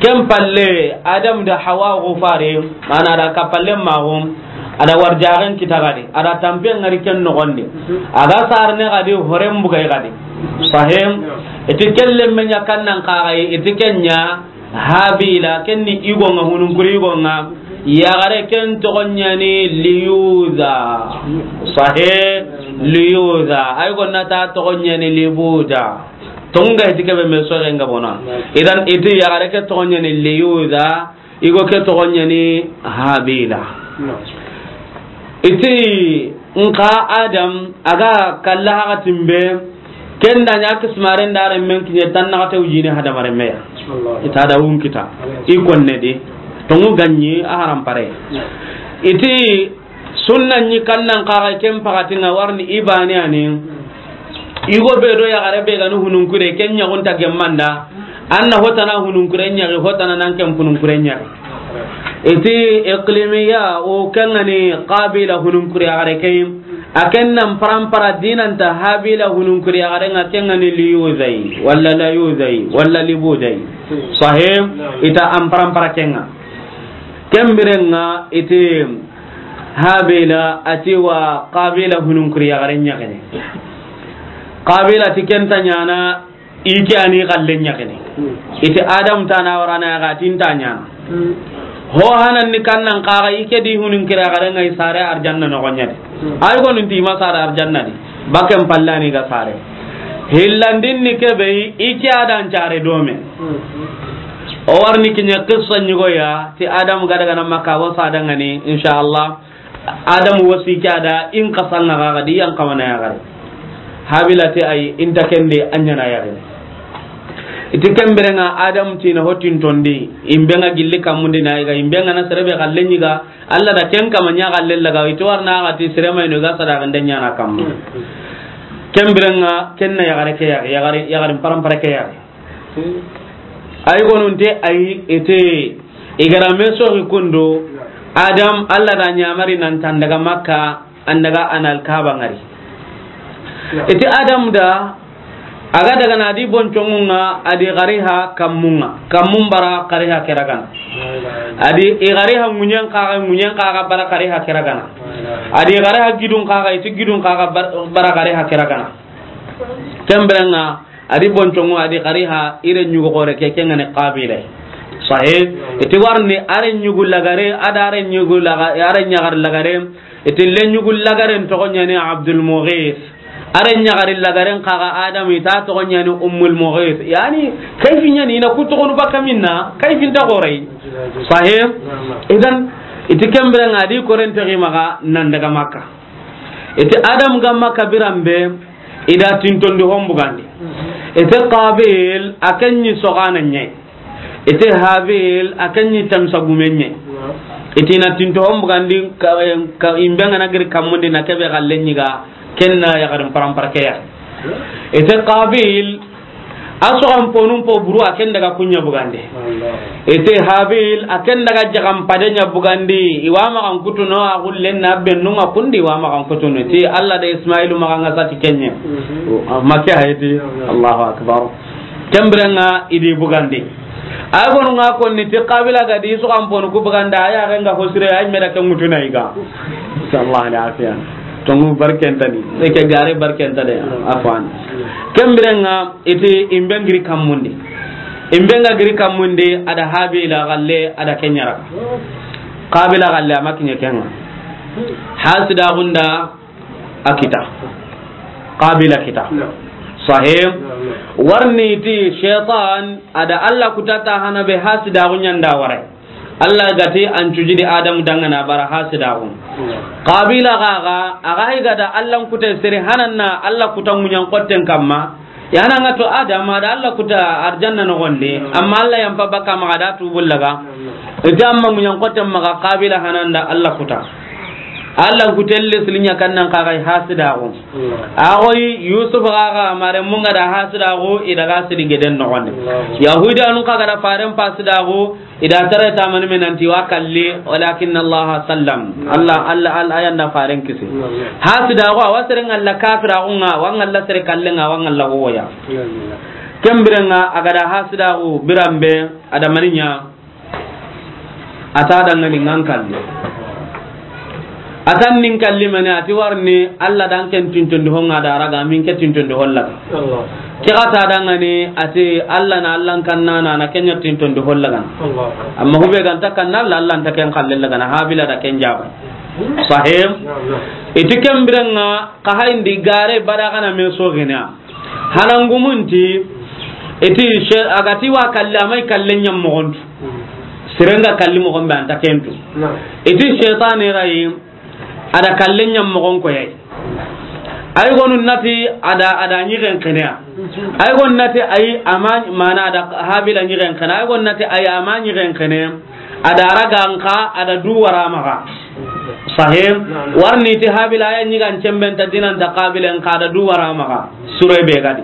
Ken palle, Adam da Hawa go fare, mana da ka palle ma go, a da warjaxen kita ga di, a da tampe ŋari ken noxondi. A ga sarne ga di, horen bugay ga di. Sahim, iti kelle menya kannan kaxay, iti kenya, Habila, ken ni igo ŋa, hununkuri igo ŋa. Yaxare ken toxo ɲa ni Liyuza. Sahe, Liyuza. Ay gonna ta toxo ɲa ni Libuda. Tonga iti kebe me soxe nga bona. Idan iti yaxare ke toxo ɲa ni Liyuza, igo ke toxo ɲa ni Habila. Iti nka Adam a ga kalla haxatin be, ken da ɲa kismaren da renmen kiɲe tan naxate wujini hadamarenme ya. Ita da wun kita. I konne di. Tongu ganyi a haram pare. Iti sunna ɲi kannan kaxa ken pakatinga warni ibani ani. Igo be do yaxare be gani hununkure, ken ɲaxunta gemmanda. Anna hotana hununkure ɲaxi, hotana nan ken hununkure ɲaxi. Iti iqlimiya o kengani Qabila hununkure yaxare ke. A ken nan parampara dinanta Habila hununkure yaxare nga kengani Liyuzai, walla Layuzai, walla Libudai. Sahim, ita an parampara kenga. Ken birenga iti Habila ati wa Qabila hununkuri yaxare ɲaxene. Qabila ti ken ta ɲana, i ke ani xalle ɲaxene. Iti Adam ta na warana yaxa ti nta ɲana. Ho hanan ni kannan kaxa i ke di hununkuri yaxare nga i sare arjanna noxoɲa di. Ay gonu nti ma sare arjanna di. Baken pallani ga sare. Hillandin ni kebe i ke adan care dome. O warni kiɲe qissa ɲigoya, ti Adam ga daga na Makka, wo sa dangani, inshallah. Adam wasi ke ada in qasanga ga di yan kamana yaxare. Habila ti ay inta kende anyana yaxare. Iti ken birenga Adam tina hotin tondi, imbenga gilli kamundi na iga, imbenga na serebe xalle ɲiga, Allah da ken kama ɲa xalle laga, iti warna ga ti serema ino ga sada gande ɲana kamma. Ken birenga kenna yaxare ke yaxare, yaxare, yaxare parampara ke yaxare. Ay gonunte ay ete igarame soxi kundo. Adam, Allah da ɲamari nan tan daga Makka, an daga anal Kaaba ngari. Ete Adam da, a ga daga na di boncongunga, a di xariha kammunga, kammun bara xariha keragana. A di i xariha ŋuɲen kaga, ŋuɲen kaga bara xariha keragana. A di xariha gidun kaga, iti gidun kaga bar-, bara xariha keragana. Ken birenga, a di boncongo, a di xariha, ire ɲugo xore ke, kengani Qabila. Sahe, iti warni, are ɲugu lagare, ada are ɲugu laga-, are ɲaxar lagare, iti le ɲugu lagaren toxo ɲani Abdul Mughis. Are ɲaxari lagaren kaga Adam ita toxo ɲani Ummul Mughis. Yani, kayfi ɲani, ina ku toxonu baka minna, kayfi nta xorey. Sahe, idan, iti ken birenga, a di koren toxi maxa, nan daga Makka. Iti Adam ga Makka biran be, i da tintondi hombugandi. Iti Qabil, a ken ɲi soxana ɲe. Iti Habil, a ken ɲi tamsa gume ɲe. Iti na tinto hombugandi, ka, ka, imbe ngana giri kammundi na kebe xalle ɲiga, kenna yaxarin parampara ke ya. Iti Qabil, a soxan ponun po buru, a ken daga kuɲa bugande. Ete Habil, a ken daga jaxan pade ɲa bugandi, i wa maxan kutuno, a xullen na bennun ŋa kundi, i wa maxan kutuno. Ti Allah da Ismailu maxa nga sati kenye. Makke hayati, Allahu Akbar. Ken birenga i di bugandi. A gonu nga konni ti Qabila ga di soxan ponu ku buganda, a ya renga hosire, ay meda ken mutuna iga. Sallallahu alaihi wasallam. Tongu barkentani. Eke gare barkentani. Afwan. Ken birenga iti imbe ngiri kammundi. Imbe nga giri kammundi, ada Habila xalle, ada kenyara. Qabila xalle, a ma kiɲe kenga. Hasida gunda a kita. Qabila kita. Sahim. Warni ti shaytan, ada Allah kuta ta hana be hasida gunyanda warai. Allah gati an cujidi Adamu dangana bara hasidaxu. Qabila gaga, aga higada Allah kute sere hananna Allah kuta ŋuɲan kotten kamma. Yana nga to Adam ada Allah kuta arjanna nogondi, amma Allah yampa baka maga da tubullaga. Ita amma ŋuɲan kotten maga Qabila hananda Allah kuta. Alla ku telle silinya kannan ka ga hasidaaxu. A xoyi Yusuf ga ga mare mun ga da hasidaaxu, i daga sidi geden noxondi. Yahudanun ka ga da faren pasidaaxu, i da tare tamani me nanti wa kalli, walakin Allah sallam. Alla, Alla, Alla, a yan da faren kisi. Hasidaaxu, a wa sere ŋalla kafiraaxu ŋa, wa ŋalla sere kalle ŋa, wa ŋalla hoya. Ken biren ŋa, a ga da hasidaaxu biranbe, a da mani ɲa, a ta dangani ŋan kalli. A tan nin kalli mani, a ti warni Alla dan ken tintondi ho ŋa da raga, min ke tintondi holla ga. Ke ga ta dangani, a ti Alla na, Alla n kanna na, na kenya tintondi holla ga. Amma hube ga nta kanna Alla, Alla nta ken kalle la ga na, Habila da ken jaba. Sahim. I ti ken biren ŋa, ka hayndi gare bada ga na me so gina. Hanangumunti, i ti she-, a ga ti wa kalli, a ma i kalle ɲa moxon tu. Sere nga kalli moxon be, a nta ken tu. I ti shaytani rayi, a da kalle ɲa moxon ko yayi. Ay gonu nati a da, a da ɲigen xeneya. Ay gonu nati ay a ma, mana a da Habila ɲigen xeneya. Ay gonu nati ay a ma ɲigen xeneya. A da raga nka, a da du wara maxa. Sahim. Warni ti Habila ya ɲigan cemben ta dinan ta Qabila nka, a da du wara maxa. Sure be gadi.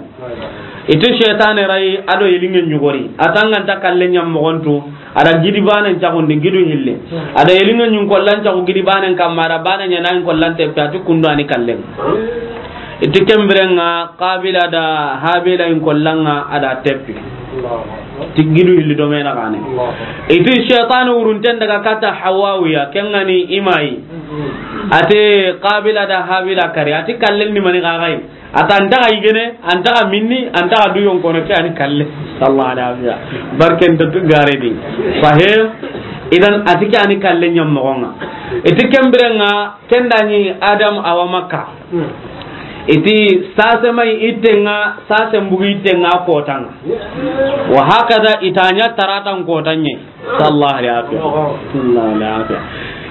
I ti shaytane rayi, a do yelinge ɲugori. A tanganta kalle ɲa moxon tu, a da gidi banen caxundi, gidu hille. A da yelinge ɲun kollan caxu gidi banen kamma, a da bane ɲa na in kollan teppe, a ti kundu ani kallen. I ti ken biren ŋa, Qabila da Habila in kollan ŋa, a da teppi. Ti gidu hilli do me na gane. I ti shaytani wurunten daga kata Hawawiya, ken ŋa ni i ma yi. A ti Qabila da Habila kari, a ti kallen ni mani ga ga yi. A ta an ta ga yigene, an ta ga minni, an ta ga du yonkono, ke ani kalle. Sallallahu alaihi wasallam. Barken da tu gare di. Sahim. Idan a ti ke ani kalle ɲa moxon ŋa. I ti ken biren ŋa, ken da ni Adam a wa Makka. I ti sase mai itten ŋa, sase mbugi itten ŋa kotan ŋa. Wa hakada i ta ɲa taratan kotan ɲa. Sallallahu alaihi wasallam. Sallallahu alaihi wasallam.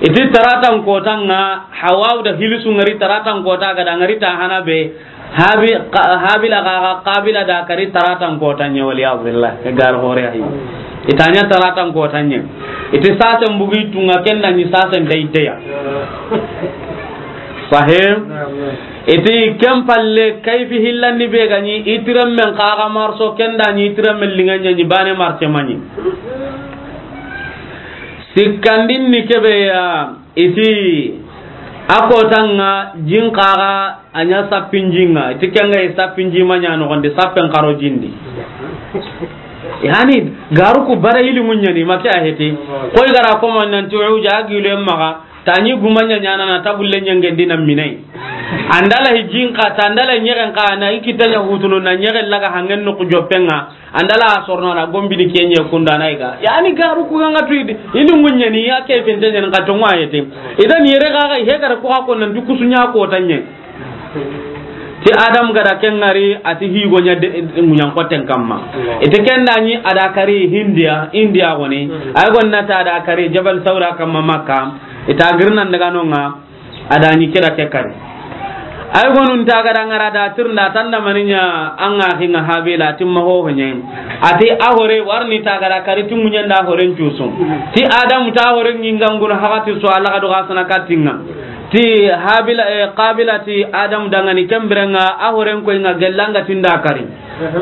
I ti taratan kotan ŋa, Hawa da Hilisu ngari taratan kota ga da ngari ta hana be. Habi-, ka-, Habila ga, ga Qabila da kari taratan kotan ɲa, wal iyadu billah. Gar hore ahi. I ta ɲa taratan kotan ɲa. I ti sasen bugi tunga ken da ni sasen dai daya. Sahim. I ti ken palle kayfi hillandi be ga ni i tiren men kaga marso ken da ni i tiren men linganya ni bane marse mani. Sikkandin ni kebe ya, i ti a kotan ŋa jin kaga a ɲa sappin jin ŋa, i ti ken ga i sappin ji ma ɲa noxondi, sappen karo jindi. Yani, garu ku bara ilimu ɲa ni, ma ke a heti. Koy gara ko man nan ti uja gilu maxa, ta ni guma ɲa ɲa na, na tabulle ɲa ngendi na minai. An da la hijin ka, ta an da la ɲegen ka, na i kita ɲa hutunu, na ɲegen laga hangen no ku joppen ŋa. An da la sorno na gombini kenye kunda na iga. Yani garu ku ga nga tuidi. Ini munyani ya ke fente nyen ka tongo ayete. Idan yere ga ga he gara ku ko nan du kusunya kotan ɲa. Ti Adam ga da ken ngari a ti higo ɲa de munyan koten kamma. I ti ken da ni a da kari Hindiya, Indiya goni. Ay gonna ta da kari Jabal Saura kamma Makka. I ta girnan daga nonga. A da ni kira ke kari. Ay gonun ta ga da ngara da tirnda tanda maninya an ga hinga Habila timma ho honye. A ti a hore warni ta ga da kari timunya nda horen cusu. Ti Adam ta horen nginga ngul hagati so Allah ga do ga sana katinga. Ti Habila, eh, Qabila ti Adam dangani ken biren ŋa a horen ko inga gellanga tinda kari.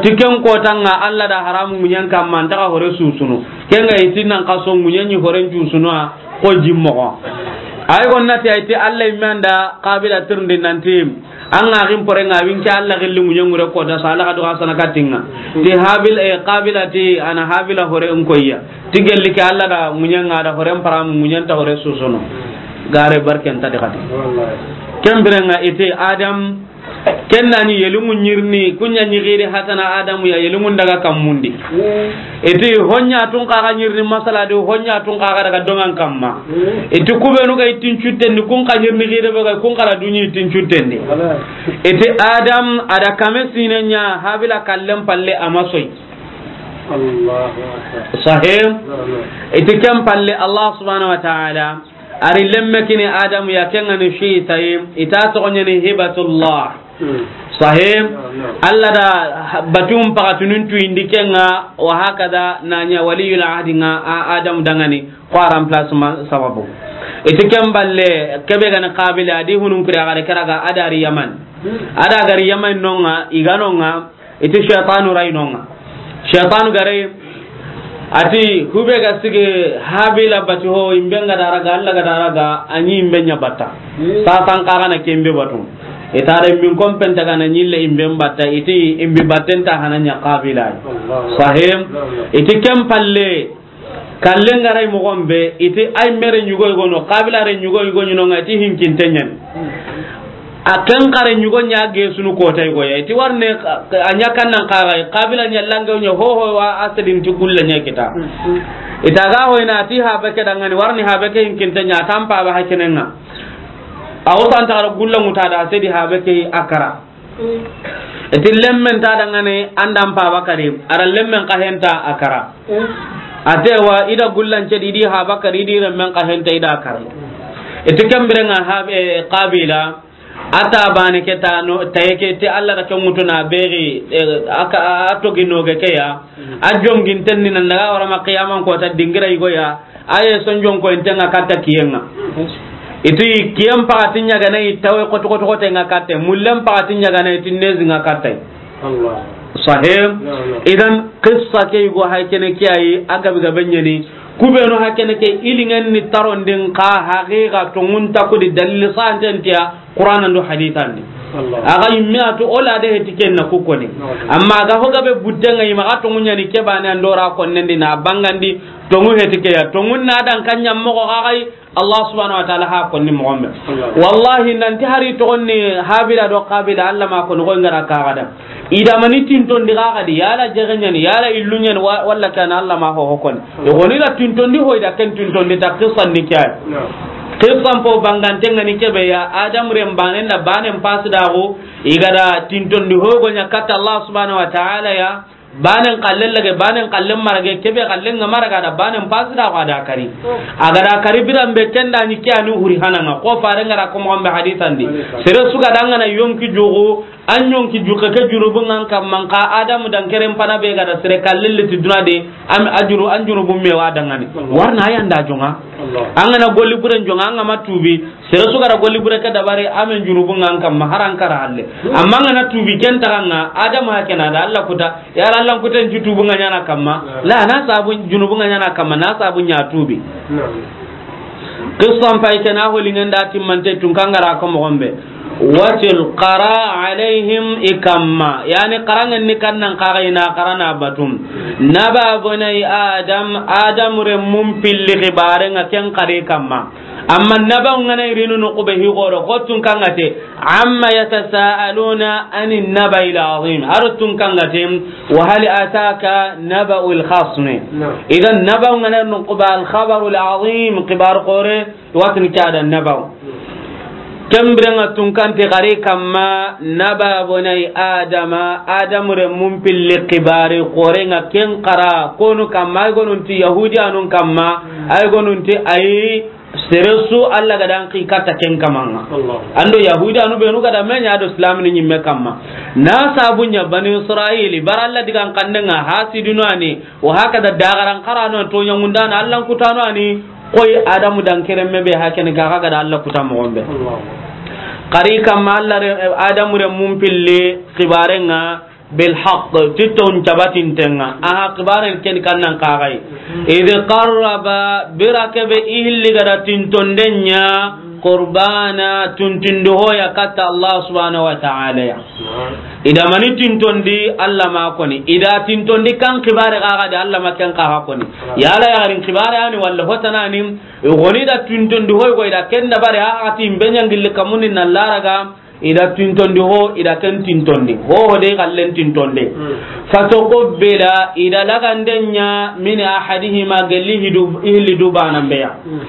Ti ken kotan ŋa Allah da haramu munyan kamma an ta ga hore susunu. Ken ga i ti nan kaso munyan ni horen cusuno. Ko jimmoxo. Ay gonna ti ay ti Allah imme an da Qabila tirndi nanti, an ga gin pore nga winke Allah gilli ŋuɲe ŋure ko da sala ga do ga sana katinga. Ti Habil, eh, Qabila ti ana Habila hore n koyya. Ti gelli ke Allah da ŋuɲe nga da hore n param ŋuɲe nta hore susono. Gare barken ta di xati. Ken biren ŋa i ti Adam Ken da ni yelungu ɲirni, kunya ɲigiri hatana Adamu ya yelungun daga kammundi. Iti honya tun kaga ɲirni masala di, honya tun kaga daga dongan kamma. Iti kubenu ga itin cuttendi, kun ka ɲirni gire be ga, kun kara dunyi itin cuttendi. Iti Adam ada kame sinenya Habila kallen palle amasoy. Allahu Akbar. Sahih. Iti ken palle Allah subhanahu wa ta'ala. Ari lemme kini Adamu ya, ken ŋa ni fi tayi, ita toxo ɲeni Hibatullah. Sahih. Allah da batum paxatunun tuyindi ken ŋa, wa hakada na ɲa waliyul ahdi ŋa a Adamu dangani, ko a remplacement sababu. I ti ken balle, kebe ga ni Qabila, a di hunun kuri a ga da ke raga, a da ri Yaman. A da ga ri Yaman no ŋa, i ga no ŋa, i ti shaytanu ray no ŋa. Shaytanu ga ri, a ti, hube ga sigi Habila bati ho, i be ga da raga, Alla ga da raga, a ɲi i be ɲa batta. Sasan xa ga na ke i be batu. I ta da i be ko n penta ga na ɲi le i be batta, i ti i be batten ta hana ɲa Qabila. Sahim, i ti ken palle, kallen ga ri moxo be, i ti ay mere ɲugo i go no, Qabila re ɲugo i go ɲi no ŋa, i ti hinkinte ɲa ni. A ken xare ɲugo ɲa ge sunu kota i go ya. I ti warne a ɲa kan nan xaga, Qabila ɲa lange ɲa ho ho wa a sedin ti gulla ɲa kita. I ta ga ho i na ti habe ke da ŋa ni, warni habe ke hinkinte ɲa, tampa ba hakene ŋa. A wo san ta gulla ŋuta da sedi habe ke a kara. I ti lemmen ta da ŋa ni, an da n paba kari, a da lemmen xa henta a kara. A te wa i da gullan cedi, i di haba kari, i di remmen xa henta i da kari. I ti ken bire ŋa habe, eh, Qabila, a ta bane ke ta no, ta ye ke ti Alla da ke ŋutu na beri, eh, a ka, a togi no ge ke ya, a jongin tenni nan daga wara ma qiyaman ko ta dingira i go ya, Aye sonjon ko inte ŋa katta kiyen ŋa. I ti kiyen paxati ɲa ga na i tawe koto koto kote ŋa katte. Mullen paxati ɲa ga na i ti nezi ŋa katte. Allah. Sahih. Na'am, na'am. Idan qissa ke i go hay kene ke ayi, a gabe gabe ɲa ni. Kubenu hay kene ke i lingen ni tarondin xa haqiqa tonŋun ta kudi dalil santen tiya. Qur'an ando hadith andi. Allah. A ga yimme a tu o la de heti ken na ku koni. Na'am. Amma a ga ho gabe butte ŋa i maxa tonŋu ɲa ni ke bane ando ra konnendi na bangandi tonŋu heti ke ya. Tonŋun na dan kan ɲa moxo xa xay Allah subhanahu wa ta'ala ha konni moxo be. Allah. Wallahi nanti hari togonni Habila do Qabila Allah ma koni ko ngara ka gada. I da mani tintondi xa xadi, yala jege ɲa ni, yala illu ɲa ni, wa-, walla kana Allah ma ho ho koni. I goni da tintondi ho, i da ken tintondi ta qissa ndi ke ay. Na'am. Qissa n po bangante ŋa ni kebe ya, Adam ren banen da banen pasi da go, i ga da tintondi ho go ɲa katta Allah subhanahu wa ta'ala ya, banen kallen lage, banen kallen marage, kebe kallen ŋa maraga da banen pasi da go a da kari. A ga da kari biran be ken da ni ke ani huri hana ŋa, ko fare ngara ko mo be hadith andi. Sere su ga da ŋa na yonki jogo, An yonki juke ke junubun ŋa an kamma, nxa Adamu dan keren pana be ga da sere kallilli ti duna de, am, a junu-, an junubun me wa dangani. Allah. Warna ayan da jonga. Allah. An ga na golli buren jonga, an ga ma tubi, sere su ga da golli bure ke dabari, amen junubun ŋa an kamma, haran kara halle. Hmm. Amma an ga na tubi ken taga ŋa, Adamu hakena da Allah kuta, ya Allah kuten ju tubun ŋa ɲana kamma. Hmm. La, na sabun junubun ŋa ɲana kamma, na sabun ɲa tubi. Hmm. Qissan pay ke na holingen da timmante tun kangara ko moxo be. Watil qara alayhim i kamma. Yani qarangen ni kannan qaga i na qarana batum. Naba bunay Adam, Adam remmun pilli xibare ŋa ken qari kamma. Amma naba ŋa na irinu no kube hi goro ko tun kangate. Amma yatasaaluna anin naba'il azim. Har tun kangate. Wa hal ataka naba'ul khasmi. Na'am. Idan naba ŋa na no kuba al khabarul azim, xibar qore. Watini ke a da nabaw. Ken biren ŋa tun kante xari kamma, naba bunay Adama, Adamu remmun pilli xibari xoren ŋa ken xara konu kamma, ay gonun ti Yahudiyanun kamma, ay gonun ti ay sere su Allah ga da an xi katta ken kaman ŋa. Allah. Ando Yahudiyanu benu ga da me ɲa do Islam ni ɲimme kamma. Na sabu ɲa Bani Israil, bara Allah digan xannen ŋa hasidinu ani, wa hakada dagaran xarano to ɲangundana Allah kutano ani, Koy Adamu dan keremme be hakene ga ga da Allah kuta moxo be. Allah. Xari kamma Allah re-, Adamu remmun pilli xibaren ŋa bil haqq, ti ton cabatinten ŋa. Aha, xibaren ken kannan kaxay. Mhm. Idh qarraba, bira kebe i hilli ga da tintonden ɲa, qurbana, tuntundu hoya katta Allah subhanahu wa ta'ala ya. Na'am. I da mani tintondi Allah ma koni. I da tintondi kan xibare ga ga de Allah ma ken kaxa koni. Yala yaxarin xibare ani walla hotanani, i goni da tintondi hoy go i da ken dabari ha ati i be ɲangilli kamundi na laraga, i da tintondi ho, i da ken tintondi. Ho ho de kallen tintondi. Hmm. Fatuqbila, i da laganden ɲa min ahadihima gelli hidu, hilli du banan be ya. Hmm.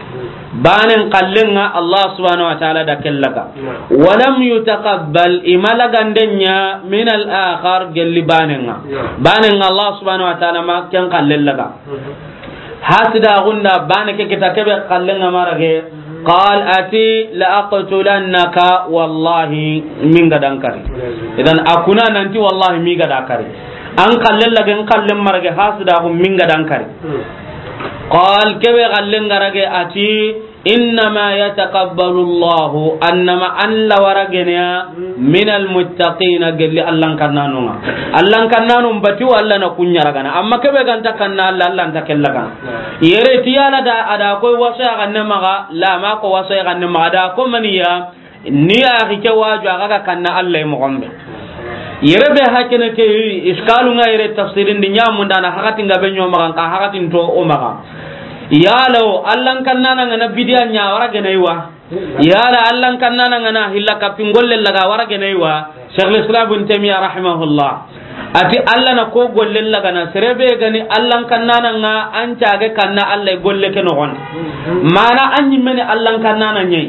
Banen kallen ŋa Allah subhanahu wa ta'ala da kellaga. Na'am. Walam yutaqabbal, i ma laganden ɲa min al-akhar gelli banen ŋa. Na'am. Banen ŋa Allah subhanahu wa ta'ala ma ken kallen laga. Mhm. Hasida gunda bane ke kita kebe kallen ŋa marage. Mhm. Qal ati la aqtulannaka wallahi min ga dan kari. Wal iyaz billah. Idan a kuna nanti wallahi mi ga da kari. An kallen lage, an kallen marage hasida gun min ga dan kari. Hmm. Qal kebe kallen ŋa rage ati Innama yataqabbalu Allahu, annama Alla wara geneya, minal muttaqina, gelli Allan kannanun ŋa. Allan kannanun bati wa Alla na kun ɲaragana. Amma kebe ga nta kanna Alla, Alla nta kella gana. Yere ti Alla da, a da ko waso ya ganne maxa, la ma ko waso ya ganne maxa, da ko maniya, ni a xi ke waju a ga kanna Alla mo gombe. Yere be hakene ke iskalun ŋa yere tafsirin di ɲamundana hakati nga be ɲo maxa, ka hakatin to o maxa. Yala o Allan kannana ŋa na bidiya ɲa wara gene wa. Yala Allan kannana ŋa na hilla kapin golle laga wara gene wa. Shaykhul Islam Ibn Taymiyyah rahimahullah. Ati Alla na ko golle laga na serebe gani Allan kannana ŋa an cage kanna Alla golle ke no gon. Mana an ɲimme ni Allan kannana ɲi.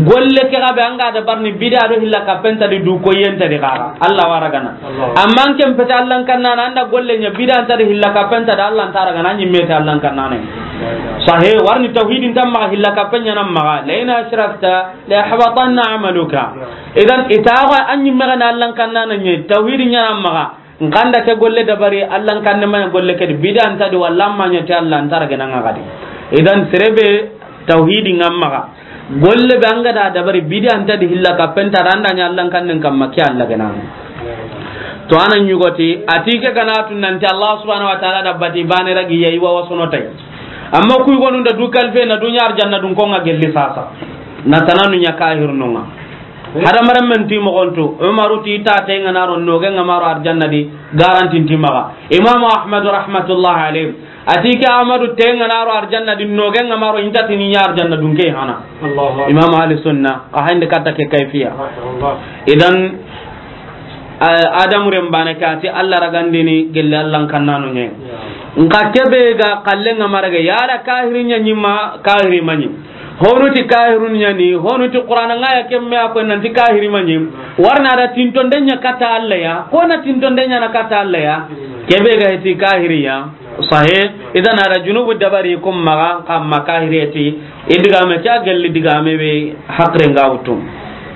Golle ke ga be an ga da barni bidiya do hilla kapen ta di du ko yenta di gaga. Alla wara gana. Amma an ken pete Allan kannana an da golle ɲa bidiya ta di hilla kapen ta da Alla nta ra gana ɲimme ta Allan kannana. Sahe warni tawhidin tamma hilla kapen ɲa na maxa. La in ashrakta la yahbatanna amaluka. Idan itawa an ɲimme gana Allan kannana ɲi tawhidin ɲa na maxa. Nkanda ke golle dabari Allan kanne ma golle ke di bidiya nta di walla ma ɲa ti Alla nta ra gana ŋa gadi. Idan serebe tawhidi ŋa maxa. Golle be an ga da dabari bidiya nta di hilla kapen ta da an da ɲa Allan kannen kamma ke Alla gana. To anan ɲugoti ati ke gana tun nanti Allah subhanahu wa ta'ala da bati bane ragi yayi wa wasono tay. Amma kuy gonun da du kalfe na dunya arjanna dun ko ŋa gelli sasa. Na tananu ɲa kahirnun ŋa. Hadamaren men ti moxontu, Umaru ti ta te ŋa na ro noge ŋa ma ro arjanna di, garantin ti maxa. Imamu Ahmadu rahmatullahi alayhi, ati ke Ahmadu te ŋa na ro arjanna di noge ŋa ma ro inta ti ni ɲa arjanna dun ke hana. Allahu Akbar. Imamu Ahli Sunna, a hande katta ke kayfiya. Masha Allah. Idan, a-, Adamu ren bane ka ti Alla ragandini gelle Allan kannanu ɲe. Ya. Nka kebe ga kalle ŋa marage, yala kahiri ɲa ɲi ma, kahiri ma ɲi. Honu ti kahirun ɲa ni, honu ti Qur'ana ŋa ya kemme a ko nanti kahiri ma ɲi. Warna da tintonde ɲa katta Alla ya, ko na tintonde ɲa na katta Alla ya. Kebe ga ti kahiri ya. Sahe, idan a da junubu dabari kum maxa, kamma kahiri ti, i digame ke a gelli digame be hakre nga wutu.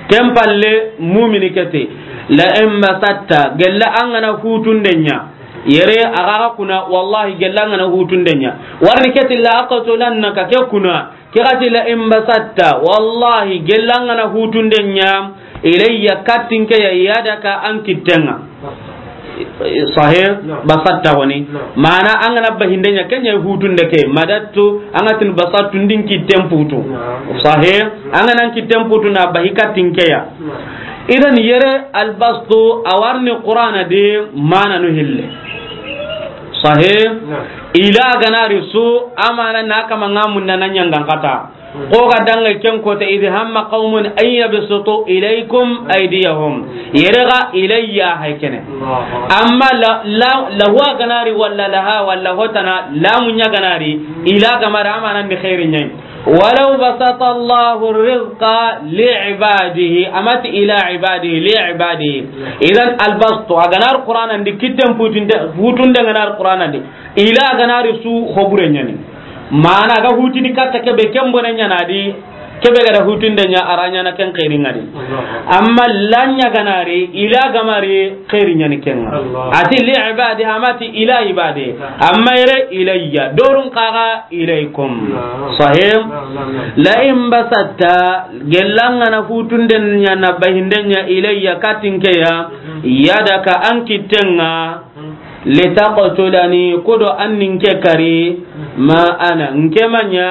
Ken palle mumini kete, la in basatta, gella an ga na hutunde ɲa. Yere a ga ga kuna, wallahi gella an ga na hutunde ɲa. Warni kete la aqtulannaka ke kuna, Ke ga ti la in basatta, wallahi, gella an ga na hutunde ɲa, ilayya, kattin ke ya, yadaka, an kitten ŋa. Sahih? Naam. Basatta woni. Naam. Mana an ga na bahinde ɲa, ken ɲa hutunde ke, madattu, an ga tin basattu, n di n kitten putu. Naam. Sahih? An ga na n kitten putu na bahi kattin ke ya. Naam. Idan yere albastu, a warni Qur'ana de, mana no hille. Sahih? Naam. Ila ga na ri su, amana na kama ŋa munda na ɲangan kata. Ko ga danga ken kota, idh hamma qawmun an yabsutu ilaykum aydiyahum. Yere ga ilayya hay kene. Allahu Akbar. Amma la, la, lahu a ga na ri walla laha walla hotana, lamu ɲa ga na ri, ila ga ma ri amana ni khairi ɲa yi. Walaw basata Allahu rizqa li ibadihi, a ma ti ila ibadihi, li ibadihi. Idan albastu, a ga na ri Qur'ana ndi kitten putunde, putunde ga na ri Qur'ana ndi. Ila ga na ri su hobure ɲa ni. Mana ga hutini katta kebe ken bone ɲa na di, kebe ga da hutunde ɲa a ra ɲa na ken xeeri ŋa di. Amma la ɲa ga na ri, ila ga ma ri xeeri ɲa ni ken ŋa. A ti li ibadi, a ma ti ila ibadi. Amma yere ilayya, dorun xa ga ilaykum. Sahih? La in basatta, gella an ga na hutunde ɲa na bahinde ɲa ilayya kattin ke ya, yadaka an kitten ŋa, litaqtulani, kudo an ni n ke kari, ma ana, n ke ma ɲa,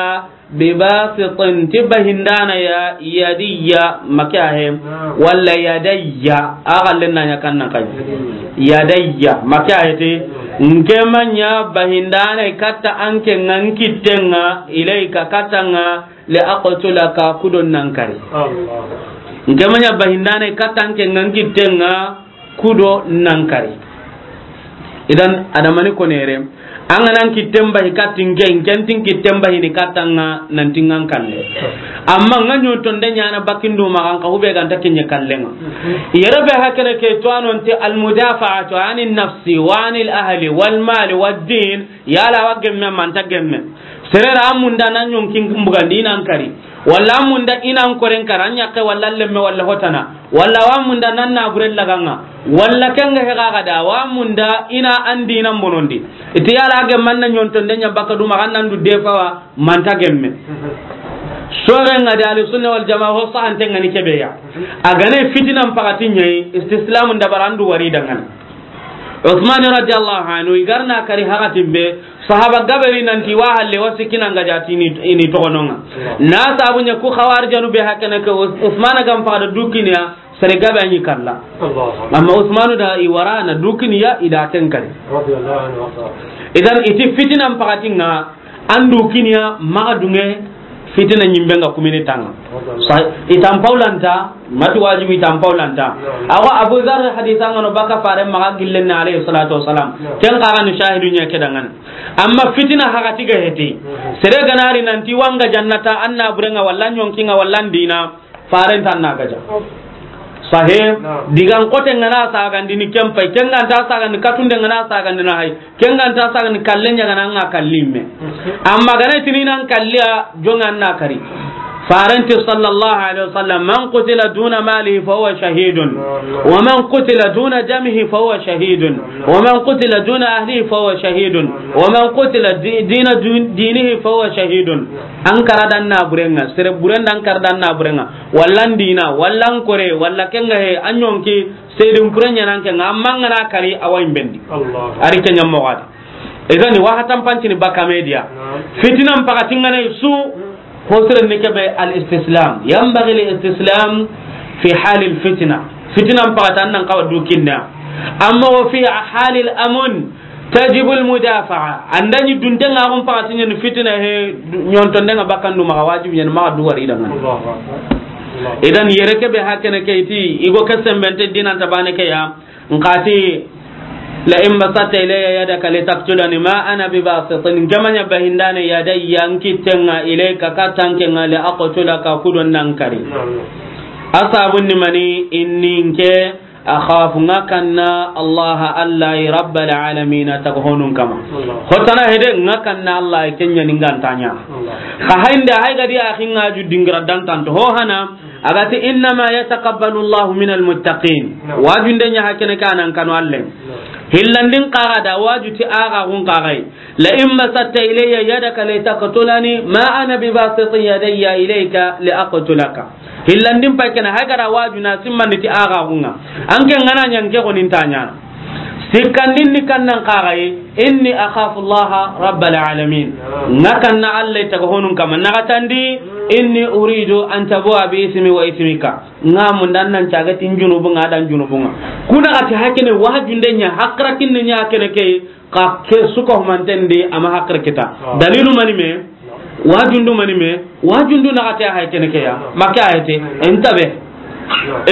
bibasitin, ti bahindana ya, yadiyya, ma ke a he, walla yadayya, a xalle na ɲa kan na kay. Yadayya, ma ke a he ti, n ke ma ɲa bahindana katta an ke ŋa n kitten ŋa, ilayka katta ŋa, li aqtulaka, kudo na n kari. Allah. N ke ma ɲa bahindana katta an ke ŋa n kitten ŋa, kudo na n kari. Idan, adamani konere, an ga na n kitten bahi kattin ke, n ken ti n kitten bahi ni katta ŋa, nan ti ŋa n kalle. Amma ŋa ɲo tonde ɲa na bakindu ma an ka hube ga nta ke ɲa kalle ŋa. Yere be hakene ke to a no nti almudafa'atu anin nafsi wa anil ahli wal mali wad din, yala wa gemme ma nta gemme. Serera a munda na ɲonkin bugandi i na n kari. Walla a munda i na n koren kara, a ɲakke walla lemme walla hotana. Walla wa munda na na bure laga ŋa. Walla ken ga he ga ga da, wa munda i na an di na bonondi. I ti yala a gemma na ɲo tonde ɲa baka du ma ga na n du defawa ma nta gemme. Sore nga di Ahli Sunna wal Jamaa, ho sahanten ga ni ke be ya. A ga ne fitinan pakati ɲa yi, istislamun dabari, an du wari dangana. Usman radiyallahu anhu, i ga ri na kari hakatin be, sahaba gabe ri nanti wa halle wa sikina nga jati ni, i ni toxo no ŋa. Na sabu ɲa ku Xawarijanu be hakene ke, Us-, Usman ga n pakada du kiniya, sere gabe a ɲi kalla. Allahu Akbar. Amma Usmanu da i wara na du kiniya, i da ken kari. Radiyallahu anhu warda. Idan i ti fitinan pakati ŋa, an du kiniya maxa dunŋe fitina ɲimbe nga kumini tanga. Sa, i tan pawlanta, mati wajibi i tan pawlanta. Awa Abu Dharr hadisa nga no baka fare maxa gillen na alayhi salatu wassalam. Ken kaga ni shahidu ɲa ke dangan. Amma fitina hakati ga heti. Sere ga na ri nanti wa nga jannata, an na bure nga walla ɲonki nga walla n dina. Faren tan na gaja. Sahe, digan kote nga na sagandi ni kempai, ken ga nta sagandi katunde nga na sagandi na hay, ken ga nta sagandi kallen ɲa ga na nga kallimme. Amma ga na tini nan kalliya jonga na kari. Faren ti sallallahu alaihi wasallam, "Man qutila duna malihi fa huwa shahidun, wa man qutila duna damihi fa huwa shahidun, wa man qutila duna ahlihi fa huwa shahidun, wa man qutila di-, dina dun-, dinihi fa huwa shahidun." An kara dan na burenga, sere buren dan kara dan na burenga. Walla n dina, walla n kore, walla kenga he, an ɲonki, seydin pure ɲanan kenga, amma nga na kari awa imbendi. Allah. Ari kenya mogadi. Idan wa hatan pancini baka media. Naam. Fitinan pakati nga ne su, ho sere ni ke be al istislam. Yanbaghi al istislam fi hal al fitna. Fitinan pakati an nan kawa du kinna. Amma wa fi hal al amun, تجب المدافعة. An da ɲi dunte nga gon pakati ɲa ni fitina he, ɲontonde nga bakkandu maxa wajibi ɲa ni maxa du wari dangana. Allahu Akbar. Allahu Akbar. Idan yere ke be hakene ke i ti, i go ke sembente dinan ta bane ke ya, n xa ti, "La in basatta ilayya yadaka litaqtulani ma ana bibasitin." N ke ma ɲa bahindane yadayya n kitten nga ilayka katta n ke nga li aqtulaka ku do nan kari. Naam. A sabun ni mani, inni n ke, akhafu nga kanna Allah, Allah rabbal alamin, taga honun kama. Allah. Hotana hede nga kanna Allah, kenya ni nga nta ɲa. Allah. Xa haynde hay gadi a xinga ju dingira dan tanto ho hana, a ga ti, "Innama yataqabbalu Allahu minal muttaqin." Naam. Wajunde ɲa hakene kanan kanu Alle. Naam. Hillandin kaga da waju ti aga gun kagai. "La in basatta ilayya yadaka litaqtulani ma ana bibasitin yadayya ilayka li aqtulaka." Hillandin pay kena hay gara waju na simmandi ti aga gunga. An ke ngana ɲa n ke goni nta ɲana. Sikkandin ni kannan kagai, "Inni akhafu Allah rabbal alamin." Nga kanna Alle taga honun kama. Nagatandi, "Inni uridu an tabua bi ismi wa ismika." Nga munda an nan caga tin junubu nga dan junubu nga. Kuna ga ti hakene wajunde ɲa, hakra kinne ɲa kene ke, ka ke suka humanten di ama hakra kita. Ah. Dalilu mani me? Wajundu mani me? Wajundu na ga ti hay kene ke ya. Make ayete. Entabe.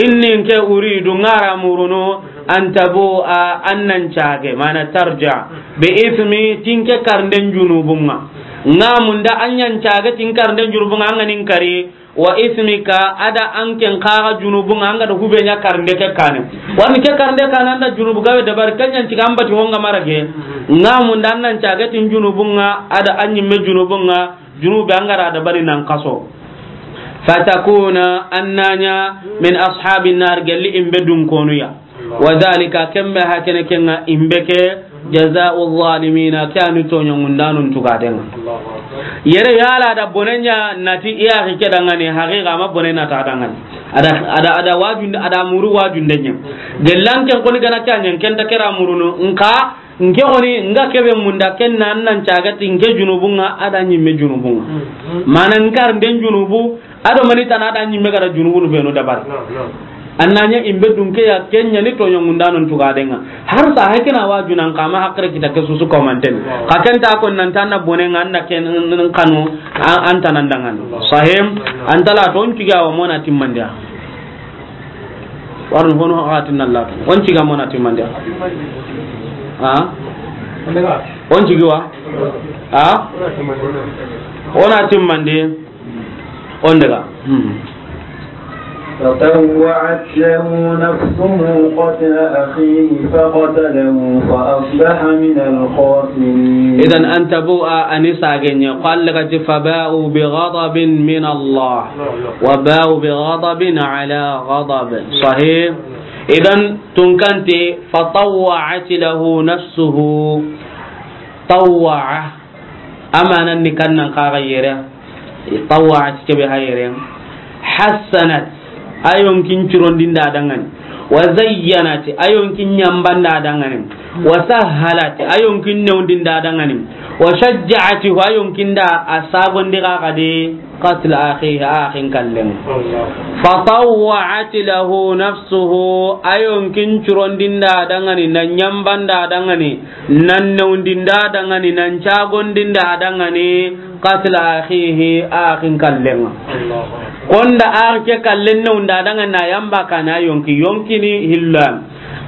Inni n ke uridu ngara murunu an tabua an nan cage, mana tarja. Bi ismi tin ke karnden junubunga. Nga munda an yan cage tin karnden junubunga an ga nin kari. Wa ismika, ada an ken kaga junubunga, an ga da hube ɲa karnde ke kane. Wani ke karnde kane an da junubu gabe dabari, kenya n ciga an bati honga marage. Nga munda an nan cage tin junubunga, ada an ɲimme junubunga, junube an ga da dabari nan kaso. Fatakuna, an na ɲa min ashabin nar, gelli imbe dun konuya. Wa dhalika, kembe hakene kenga imbe ke, jaza'u zalimina, ke ani toɲongundanun tugadenga. Yere yala da bonenya nati iya ke dangane, haqiqa ma bonena ta dangane. Ada, ada, ada wajun, ada muru wajundenya. Gellan ken koni gana kanya ken ta kera murunu, nka, nke koni, nga kebe munda ken nan nan cagati, nke junubunga, ada nyimme junubunga. Mana nkar den junubu, ado mani tana da nyimme gara junubunu benu dabari. Naam, naam. An na ɲa imbe dunke ya kenya ni toɲongundanon tugadenga. Har sa hay kena waju nan kama hakre kita ke susu komanten. Naam. Ka ken ta ko nan tanna bonenga an na ken n-, n-, kanu an, an tanan dangan. Naam. Sahim, an tala ton tiga wa mona timmandiya. Warno hono hatin Allah. On tiga mona timmandiya. Ha? On tigi wa? Ha? Ona timmandi. On daga. Hmm. فطوعت له نفسه قتل أخيه فقتله فأصبح من الخاسرين. Idan an tabu'a anisa ganya, qala gati, فباءوا بغضب من الله وباءوا بغضب على غضب. Sahih. Idan tunkante, فطوعت له نفسه. Tawwa'a. Amanan ni kannan kaga yere. Tawwa'at, kebe hayre. Hassanat, a yonkin curondinda dangani. Wa zayyanat, a yonkin ɲambanda dangani. Wa sahhalat, a yonkin newndinda dangani. Wa shajja'at, a yonkinda a sabondi ga gade. Qatla akhihi, a axin kallen. Fatawwa'at lahu nafsuhu, a yonkin curondinda dangani, nan ɲambanda dangani, nan newndinda dangani, nan cagondinda dangani. Qatla akhihi, a axin kallen. Konda a axe ke kallen newunda dangani na yamba kana yonki, yonkini hillan.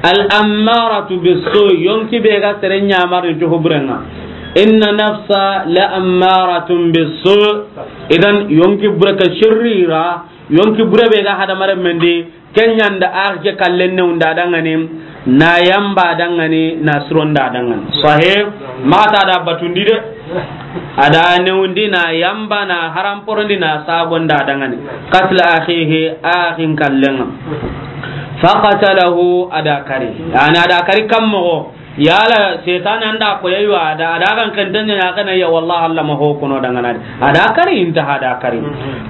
Al ammaratu bissu, yonki be ga sere ɲamarin to huburenga. Inna nafsa la ammaratun bissu. Idan yonki bure ka shirira, yonki bure be ga hadamaren mendi, kenyanda a axe ke kallen newunda dangani, na yamba dangani, na suronda dangani. Sahih, mata da batundi de. A da newundi na yamba na haramporondi na sagonda dangani. Qatla akhihi, a axin kallenga. Faqatalahu, a da kari. Yani a da kari kammogo. Yala setane anda ko yayi wa da, a da kan kentenya ya kana ya, wallahi Allah ma ho kono dangana. A da kari, intaha, a da kari.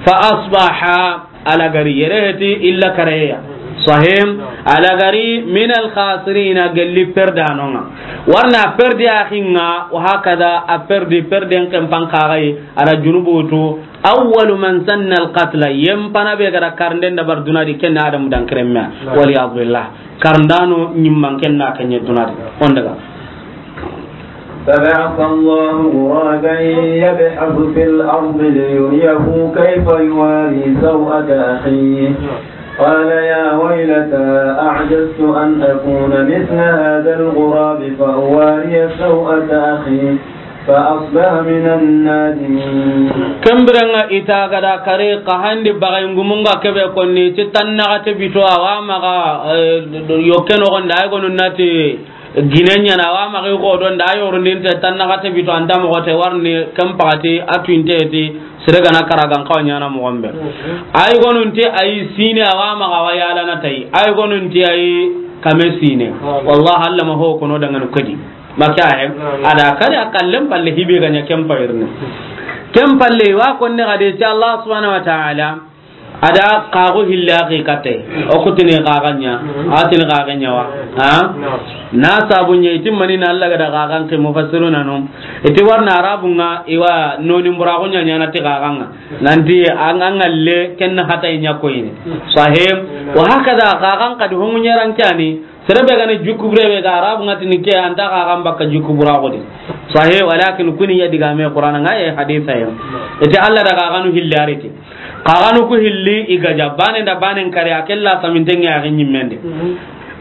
Fa asbaha, a la gari yere heti illa kareya. Sahim, a la gari min al khasirina, gelli perdanonga. Warna perdi axinga, wa hakada a perdi, perden kempan kagai, a da junubutu. Awwalu man sanna al qatla, yempana be gara karnden da bar dunadi, kenna Adamu dan kremma. Wal iyad billah. Karndano ɲimman kenna kenye dunadi. On daga. فبعث الله غرابا يبحث في الأرض ليريه كيف يواري سوءة أخيه. قال يا ويلتى أعجزت أن أكون مثل هذا الغراب فأواري سوءة أخي فأصبح من النادمين. Kembirenga ita gada kare ka handi bagay ngumunga kebe konni ti tannaxate bito awa maxa, eh, yokke noxonda ay gonu nati Gine ɲana wa maxi xodon da, a yorondinte tannaxate bito, anta moxote warni ken paxati, a tuwinteti sere gana karagan xawa ɲana moxon be. Ay gonunte ay sine awa maxa wa yalana tay, ay gonunte ay kame sine. Wallah, Allah ma ho kono dangani kedi. Maka he, a da kari a kallen palle hibe ga ɲa ken payirni. Ken palle wa konne gade ti Allah subhanahu wa ta'ala. A da kaxo hilla axi katte. O kutini kaxanya. A tini kaxanya wa. Ha? Na sabu ɲa itimmani na Allah ga da kaxan ke mufassiruna no. Iti warna arabunga iwa noni mburaxu ɲa ɲana ti kaxanga. Nanti an, an ngalle ken hata ɲa koyini. Sahim. Wa hakada kaxan kadi homu ɲaran kani. Sere be gani jukku bure be ga arabu ngati ni ke anta kaxan bakka jukku bura xodi. Sahih, walakin kuni ya diga me Qur'an nga ye hadisa ya. Ite Allah da kaxanu hilli ariti. Kaxanu ku hilli i ga ja bane da bane kare a kella samintenge a ginyi mende.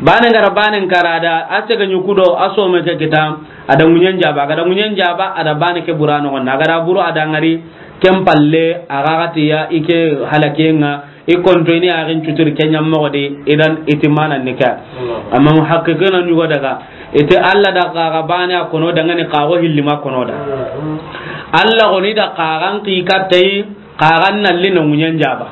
Bane ngara bane kara da a sega nyuku do a some ke kita a da munyen jaba, a ga da munyen jaba a da bane ke bura no na ga da buru a da ngari ken palle a ga gati ya ike halakenga. I konto ini axin cuturi ke ɲa moxo di, idan iti mana nika. Amma muhaqqiqina ɲugo daga, iti Allah da kaxa bane a kono dangani kaxo hillima kono da. Allah goni da kaxan ki kattei, kaxan nalli na ŋuɲen jaba.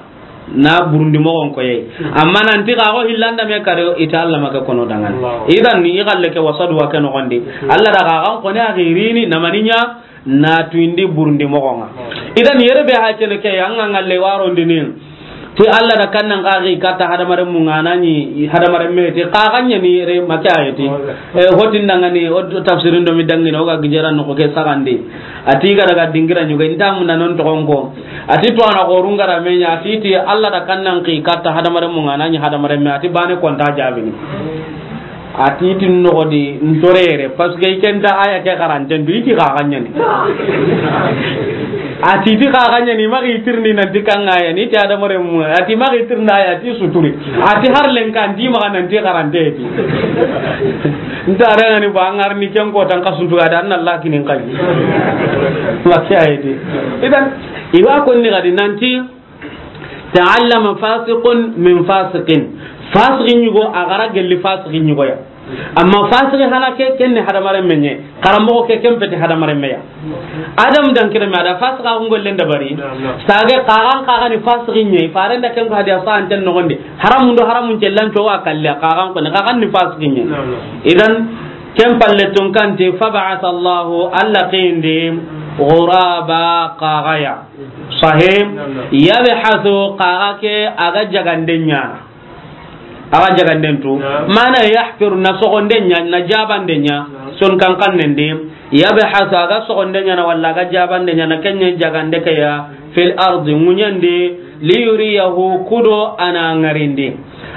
Na burundi moxon koyei. Amma nanti kaxo hillanda me kare, iti Allah make kono dangani. Idan ni i xalle ke wasadu wa ke noxondi. Allah da kaxan koni axirini namaniɲa, na tuindi burundi moxonga. Idan yere be ha kene ke, an ga ngalle warondini ti Allah da kannan kaxi katta hadamaren munga nani hadamaren me ti kaxan ɲani yere make ayeti. E, hotin dangani o tafsirin do mi dangini o ga gijera no ko ke sagandi. Ati ga daga dingira ɲuga inta mun non to gonko. Ati to ana gorungara me ɲa ati ti Allah da kannan ki katta hadamaren munga nani hadamaren me ati bane konta jabini. A ti ti noxo di ntorere, parce que i kenta aya ke xaranten du, i ti xaxaɲani. A ti ti xaxaɲani, maxi tirni nanti kanga yani, ti adamare mu, a ti maxi tirna aya, ti suturi. A ti har lenkan, ti maxa nanti xarante ti. Nta rengani ba, an ga ri ni ken ko tan ka suntu ga da, an Allah kinin kai. Makiya ti. Idan, i wa konni gadi nanti, Ta'allama fasiqun min fasiqin. Fasiqi ɲugo, a gara gelli fasiqi ɲugo ya. Amma fasiqi hana ke, ken ni hadamaren me ɲa. Karamoxo ke, ken peti hadamaren me ya. Adam dan kire me a da fasiqa xun gollen dabari. Sage kaxan kaxa ni fasiqi ɲa. Faren da ken ko hadiya sa anten noxondi. Haramun do haramun cellan to wa kalle kaxan ko ni kaxan ni fasiqi ɲa. Idan ken palle tun kanti, fab'atha Allahu, Allah qindi. Ghuraba, xaxaya. Sahih. Yabhasu, xaxa ke a ga jagande ɲaana. A ga jaganden tu. Naam. Mana yahfiru, na sogonde ɲa, na jabande ɲa. Naam. Son kankannen di. Yabhasu, a ga sogonde ɲaana, walla a ga jabande ɲaana, ken ɲa jagande ke ya, fil ardi, ŋuɲen di, liyuriyahu, kudo a na ŋarindi.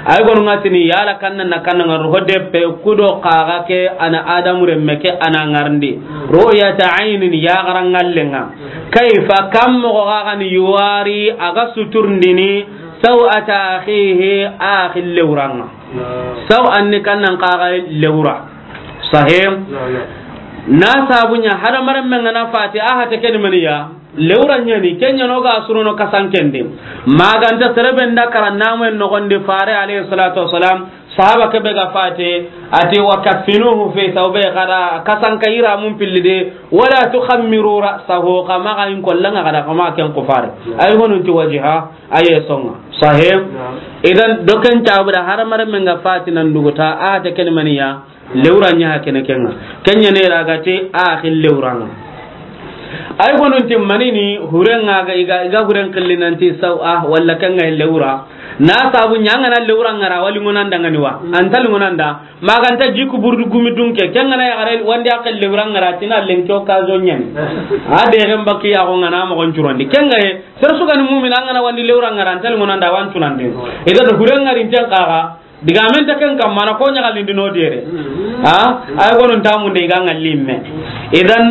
Ay gonu ŋa tini yala kanna na kanna ŋa ro de pe kudo xaxa ke a na Adamu renme ke a na ŋarindi. Ru'yata aynin, yaxaran ŋallen ŋa. Kayfa, kan moxo ga ni yuwari a ga suturndini saw'ata akhihi, axi lewran ŋa. Saw anni kannan xaxa lewra. Sahih. Na sabu ɲa hadamaren men ga na fati a hate ke ni maniya. Lewra ɲa ni, ken ɲa no ga surono kasanken di. Maganta sere be nda kara namu en noxon di Fare alayhi salatu wassalam, sahaba ke be ga fate, a ti, "Wa kaffinuhu fi thawbayhi," xa da kasanka yiramun pilli de, "wala tukhammiru ra'sahu," xa maxa in kollan ŋa, xa da xa maxa ken kufare. Ay honun ti wajiha, aye songa. Sahih. Naam. Idan, doken tabu da hadamaren men ga fati nan duguta, a hate ke ni maniya. Lewra ɲa ha kene ken ŋa. Ken ɲa ne ra ga ti axi lewran ŋa. Ay gonun ti manini huren ŋa ga i ga, i ga huren xilli nan ti saw a walla ken ŋa lewra. Na sabu ɲa ŋa na lewran ŋa ra wali ŋonan da ŋa ni wa. An ta li ŋonan da. Maganta jiku burdu gumi dunke. Ken ŋa na yaxare wandi a xel lewran ŋa ra ti na lenki occasion ɲa ni. A de ren baki ya go ŋa na moxon curondi. Ken ŋa ye, sere su ga ni mumina ŋa na wandi lewran ŋa ra an ta li ŋonan da wan cunandi. I ga do huren ŋa rin ten xaxa. Digamen ta ken kamma na ko ɲaxalindi no dere. Ha? Ay gonun tamunde i ga ŋalli me. Idan,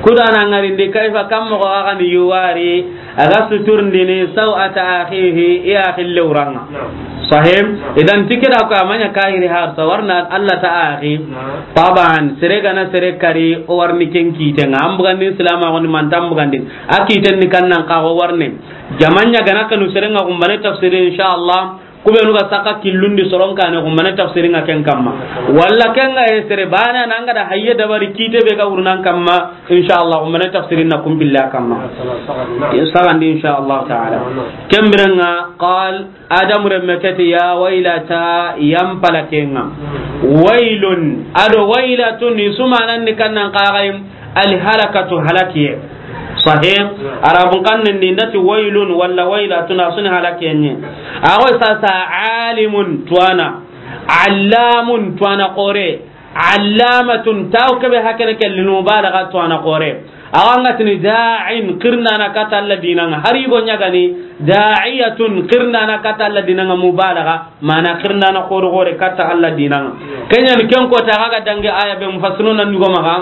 kudo a na ŋarindi kayfa, kan moxo ga ni yuwari a ga suturndini saw'ata akhihi, i axi lewran ŋa. Sahih. Idan ti ke da ko a ma ɲa kahiri har sa warna Allah ta axi. Taban, sere ga na sere kari o warni ken kite ŋa. An bugandi silama goni man tan bugandi. A kiten ni kannan xaxa o warni. Jama ɲa ga na kanu sere ŋa gumbane tafsiri inshallah. Kubenu ga saka killundi soron kane gumbane tafsirin ŋa ken kamma. Walla ken ŋa ye sere bana na ŋa da hayye dabari kite be ga wurnan kamma, inshallah gumbane tafsirin na kumbilla kamma. Sagandi inshallah ta'ala. Ken biren ŋa qal Adamu renme ke ti ya waylata yan palaken ŋa. Waylun, a do waylatun, i su manan ni kannan xaxay. Alhalakatu, halakiye. Sahih. Arabun xannen di nda ti waylun walla waylatun, a su ni halakiye ɲi. A go sasa alimun, tuwana. Allamun, tuwana xore. Allamatun, taw kebe hakene ke lil mubalagha, tuwana xore. A wa ŋa tini da'in, xirindana kata Allah dinan ŋa. Hari go ɲa ga ni da'iyatun, xirindana kata Allah dinan ŋa, mubalagha, mana xirindana xore xore kata Allah dinan ŋa. Ken ɲa ni ken ko ta ga dangi aya be mufassiruna ni go maxa.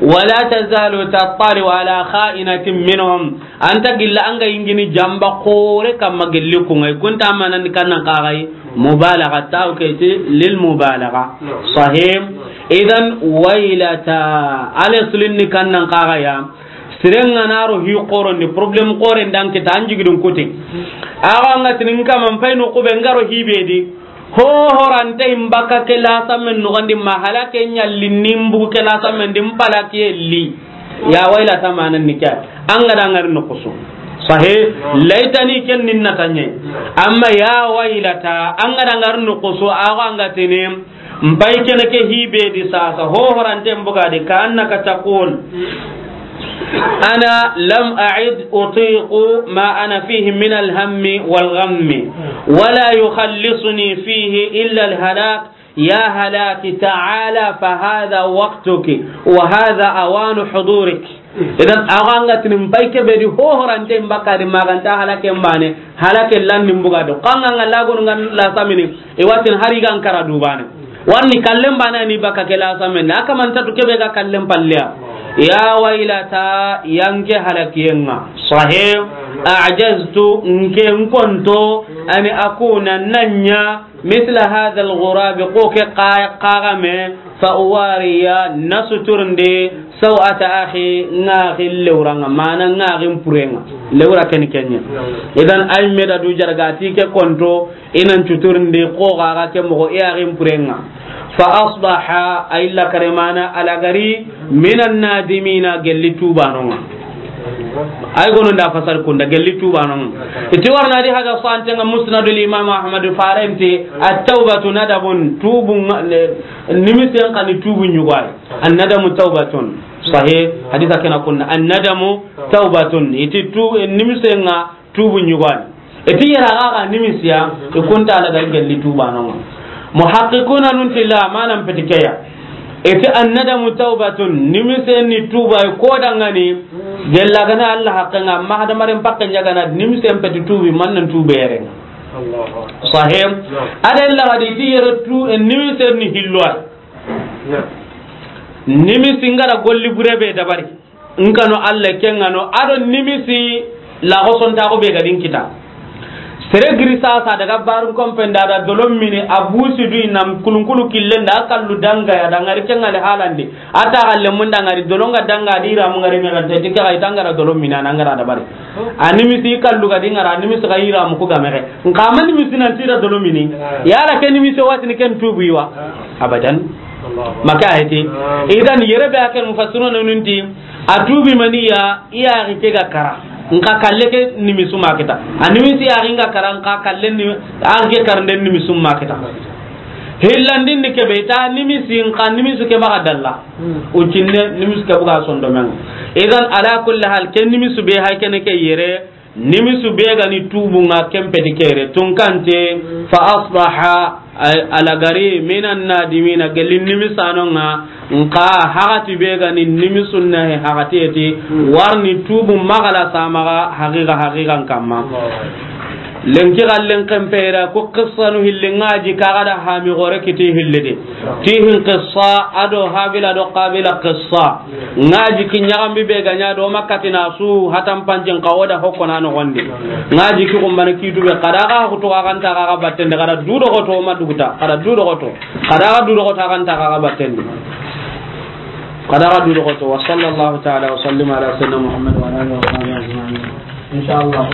Wala tazalu tattali'u ala kha'inatin minhum. An ta gilla an ga yingini jamba xore kamma gelli ku ŋa. Kun ta manan ni kannan xaxay mubalagha, taw ke ti lil mubalagha. Sahih. Idan waylata, ale sulin ni kannan xaxaya. Siren ŋa na ro hi xoron di, problème xoren dan kita an jigidun kuti. A ga ŋa tini n kaman pay no kube n ga ro hi be di. Ho horante in baka ke la samen no gandi ma halake ɲalli nimbu ke la samen di n palakiye li. Ya waylata manan ni ke. An ga da ŋari no kusu. Sahih, laytani ken nin na tanye. Amma ya waylata, an ga da ŋari no kusu, a ga ŋa tini, n pay kene ke hi be di sasa, ho horante n buga di, ka annaka taqul. Ana lam a'id utiqu ma ana fihi min alhammi wal ghammi, wala yukhallisuni fihi illa alhalak. Ya halaki ta'ala fa hadha waqtuki wa hadha awanu hudurik. Idan, a ga ŋa tini n pay ke be di ho horante n baka di maganta halake mbane, halake lan ni n buga do. Kan ŋa ŋa lagonu ŋa la samini, i wa tini hari ga n kara dubane. Warni kallen bana ni baka ke la samen. A kaman ta tu kebe ga kallen palliya. Ya waylata, yanke halakiyen ŋa. Sahih, a'jaztu, nke n konto, ani akuna nanya, mithla hadha al-ghurab, ko ke xa-, xaxame, fa uwariya, na suturndi, saw'ata akhi, ŋa axi lewran ŋa, mana ŋa axi n puren ŋa. Lewra ken kenye. Idan ay me da du jarga ti ke konto, i nan cuturndi ko ga ga ke moxo i axi n puren ŋa. Fa asbaha, ay la karemana alagari, minan nadimina, gelli tubanon ŋa. Ay gono nda fasar kunda, gelli tubanon ŋa. Iti warna di haga sante ŋa Musnadul Imam Ahmad farenti, at-tawbatu nadabun, tubun ŋa, le, nimisen kani tubun ɲugay. An-nadamu tawbatun. Sahih, hadisa ke na kunna, "Annadamu tawbatun." I ti tu, e, nimisen ŋa tubu ɲugani. I ti yere a ga ga nimisiya, i kunta a la ga gelli tuba no. Muhaqqiquna nun ti la, manan peti ke ya. I ti, "Annadamu tawbatun." Nimisen ni tuba, i ko dangani, gella gana Alla haqqen ŋa, ma hadamaren pakken ɲagana, nimisen peti tubi, man nan tube yere. Sahih. Aden la ga di ti yere tu, e, nimisen ni hillo ay. Nimisi n ga ra golli bure be dabari, n kanu Alla ke ŋa no, a do nimisi la go sonta go be ga din kita. Sere giri sasa daga barun kompen da da dolon mini, a busi du i nam kulunkulu killen da, a kallu danga ya da ŋari ke ŋa le halandi. A ta galle mun da ŋari dolon ga danga di ra mu ŋari me ga te ti ke ga i ta n ga ra dolon mini a na n ga ra dabari. A nimisi i kallu ga di ŋara, a nimisi ga i ra mu ku ga me ge. N ka ma nimisi nan ti ra dolon mini. Yala ke nimisi wati ni ken tubu i wa? Abadan. Maka ayeti. Idan yere be a ken mufassiruna nun ti, a tubi mani ya, i ya ri ke ga kara. N ka kalle ke nimisu ma kita. A nimisi ya ri n ga kara, n ka kalle ni, a ri ke karande nimisu ma kita. Hillandin ni ke be ta nimisi, n ka nimisu ke ba ga dalla. O cinne nimisu ke bu ga sondo men. Idan ala kulli hal, ke nimisu be hay kene ke yere, nimisu be ga ni tubu ŋa ken peti kere, tunkante, fa asbaha, ay, a la gari, minan nadimina, gelli nimisanon ŋa, n ka hagati be ga ni nimisun na he hagati eti, warni tubu magala samaga, haqiqa, haqiqan kamma. Lenki gallen ken pera, ko qissanu hilli ŋa ji ka ga da hami gore kiti hilli de. Tihin qissa, a do Habila do Qabila qissa. Ŋa ji ki ɲaxambi be ga ɲa do Makka ti na su hatan panjin ka o da hokko na noxondi. Ŋa ji ki kumbana kitu be, kada ga hutu ga kanta ga batten de, kada du do goto ma duguta, kada du do goto. Kada ga du do goto kanta ga batten de. Kada ga du do goto. Wa sallallahu ta'ala wa sallim ala sayyidina Muhammad wa ala alihi wa sahbihi ajma'in. Inshallah.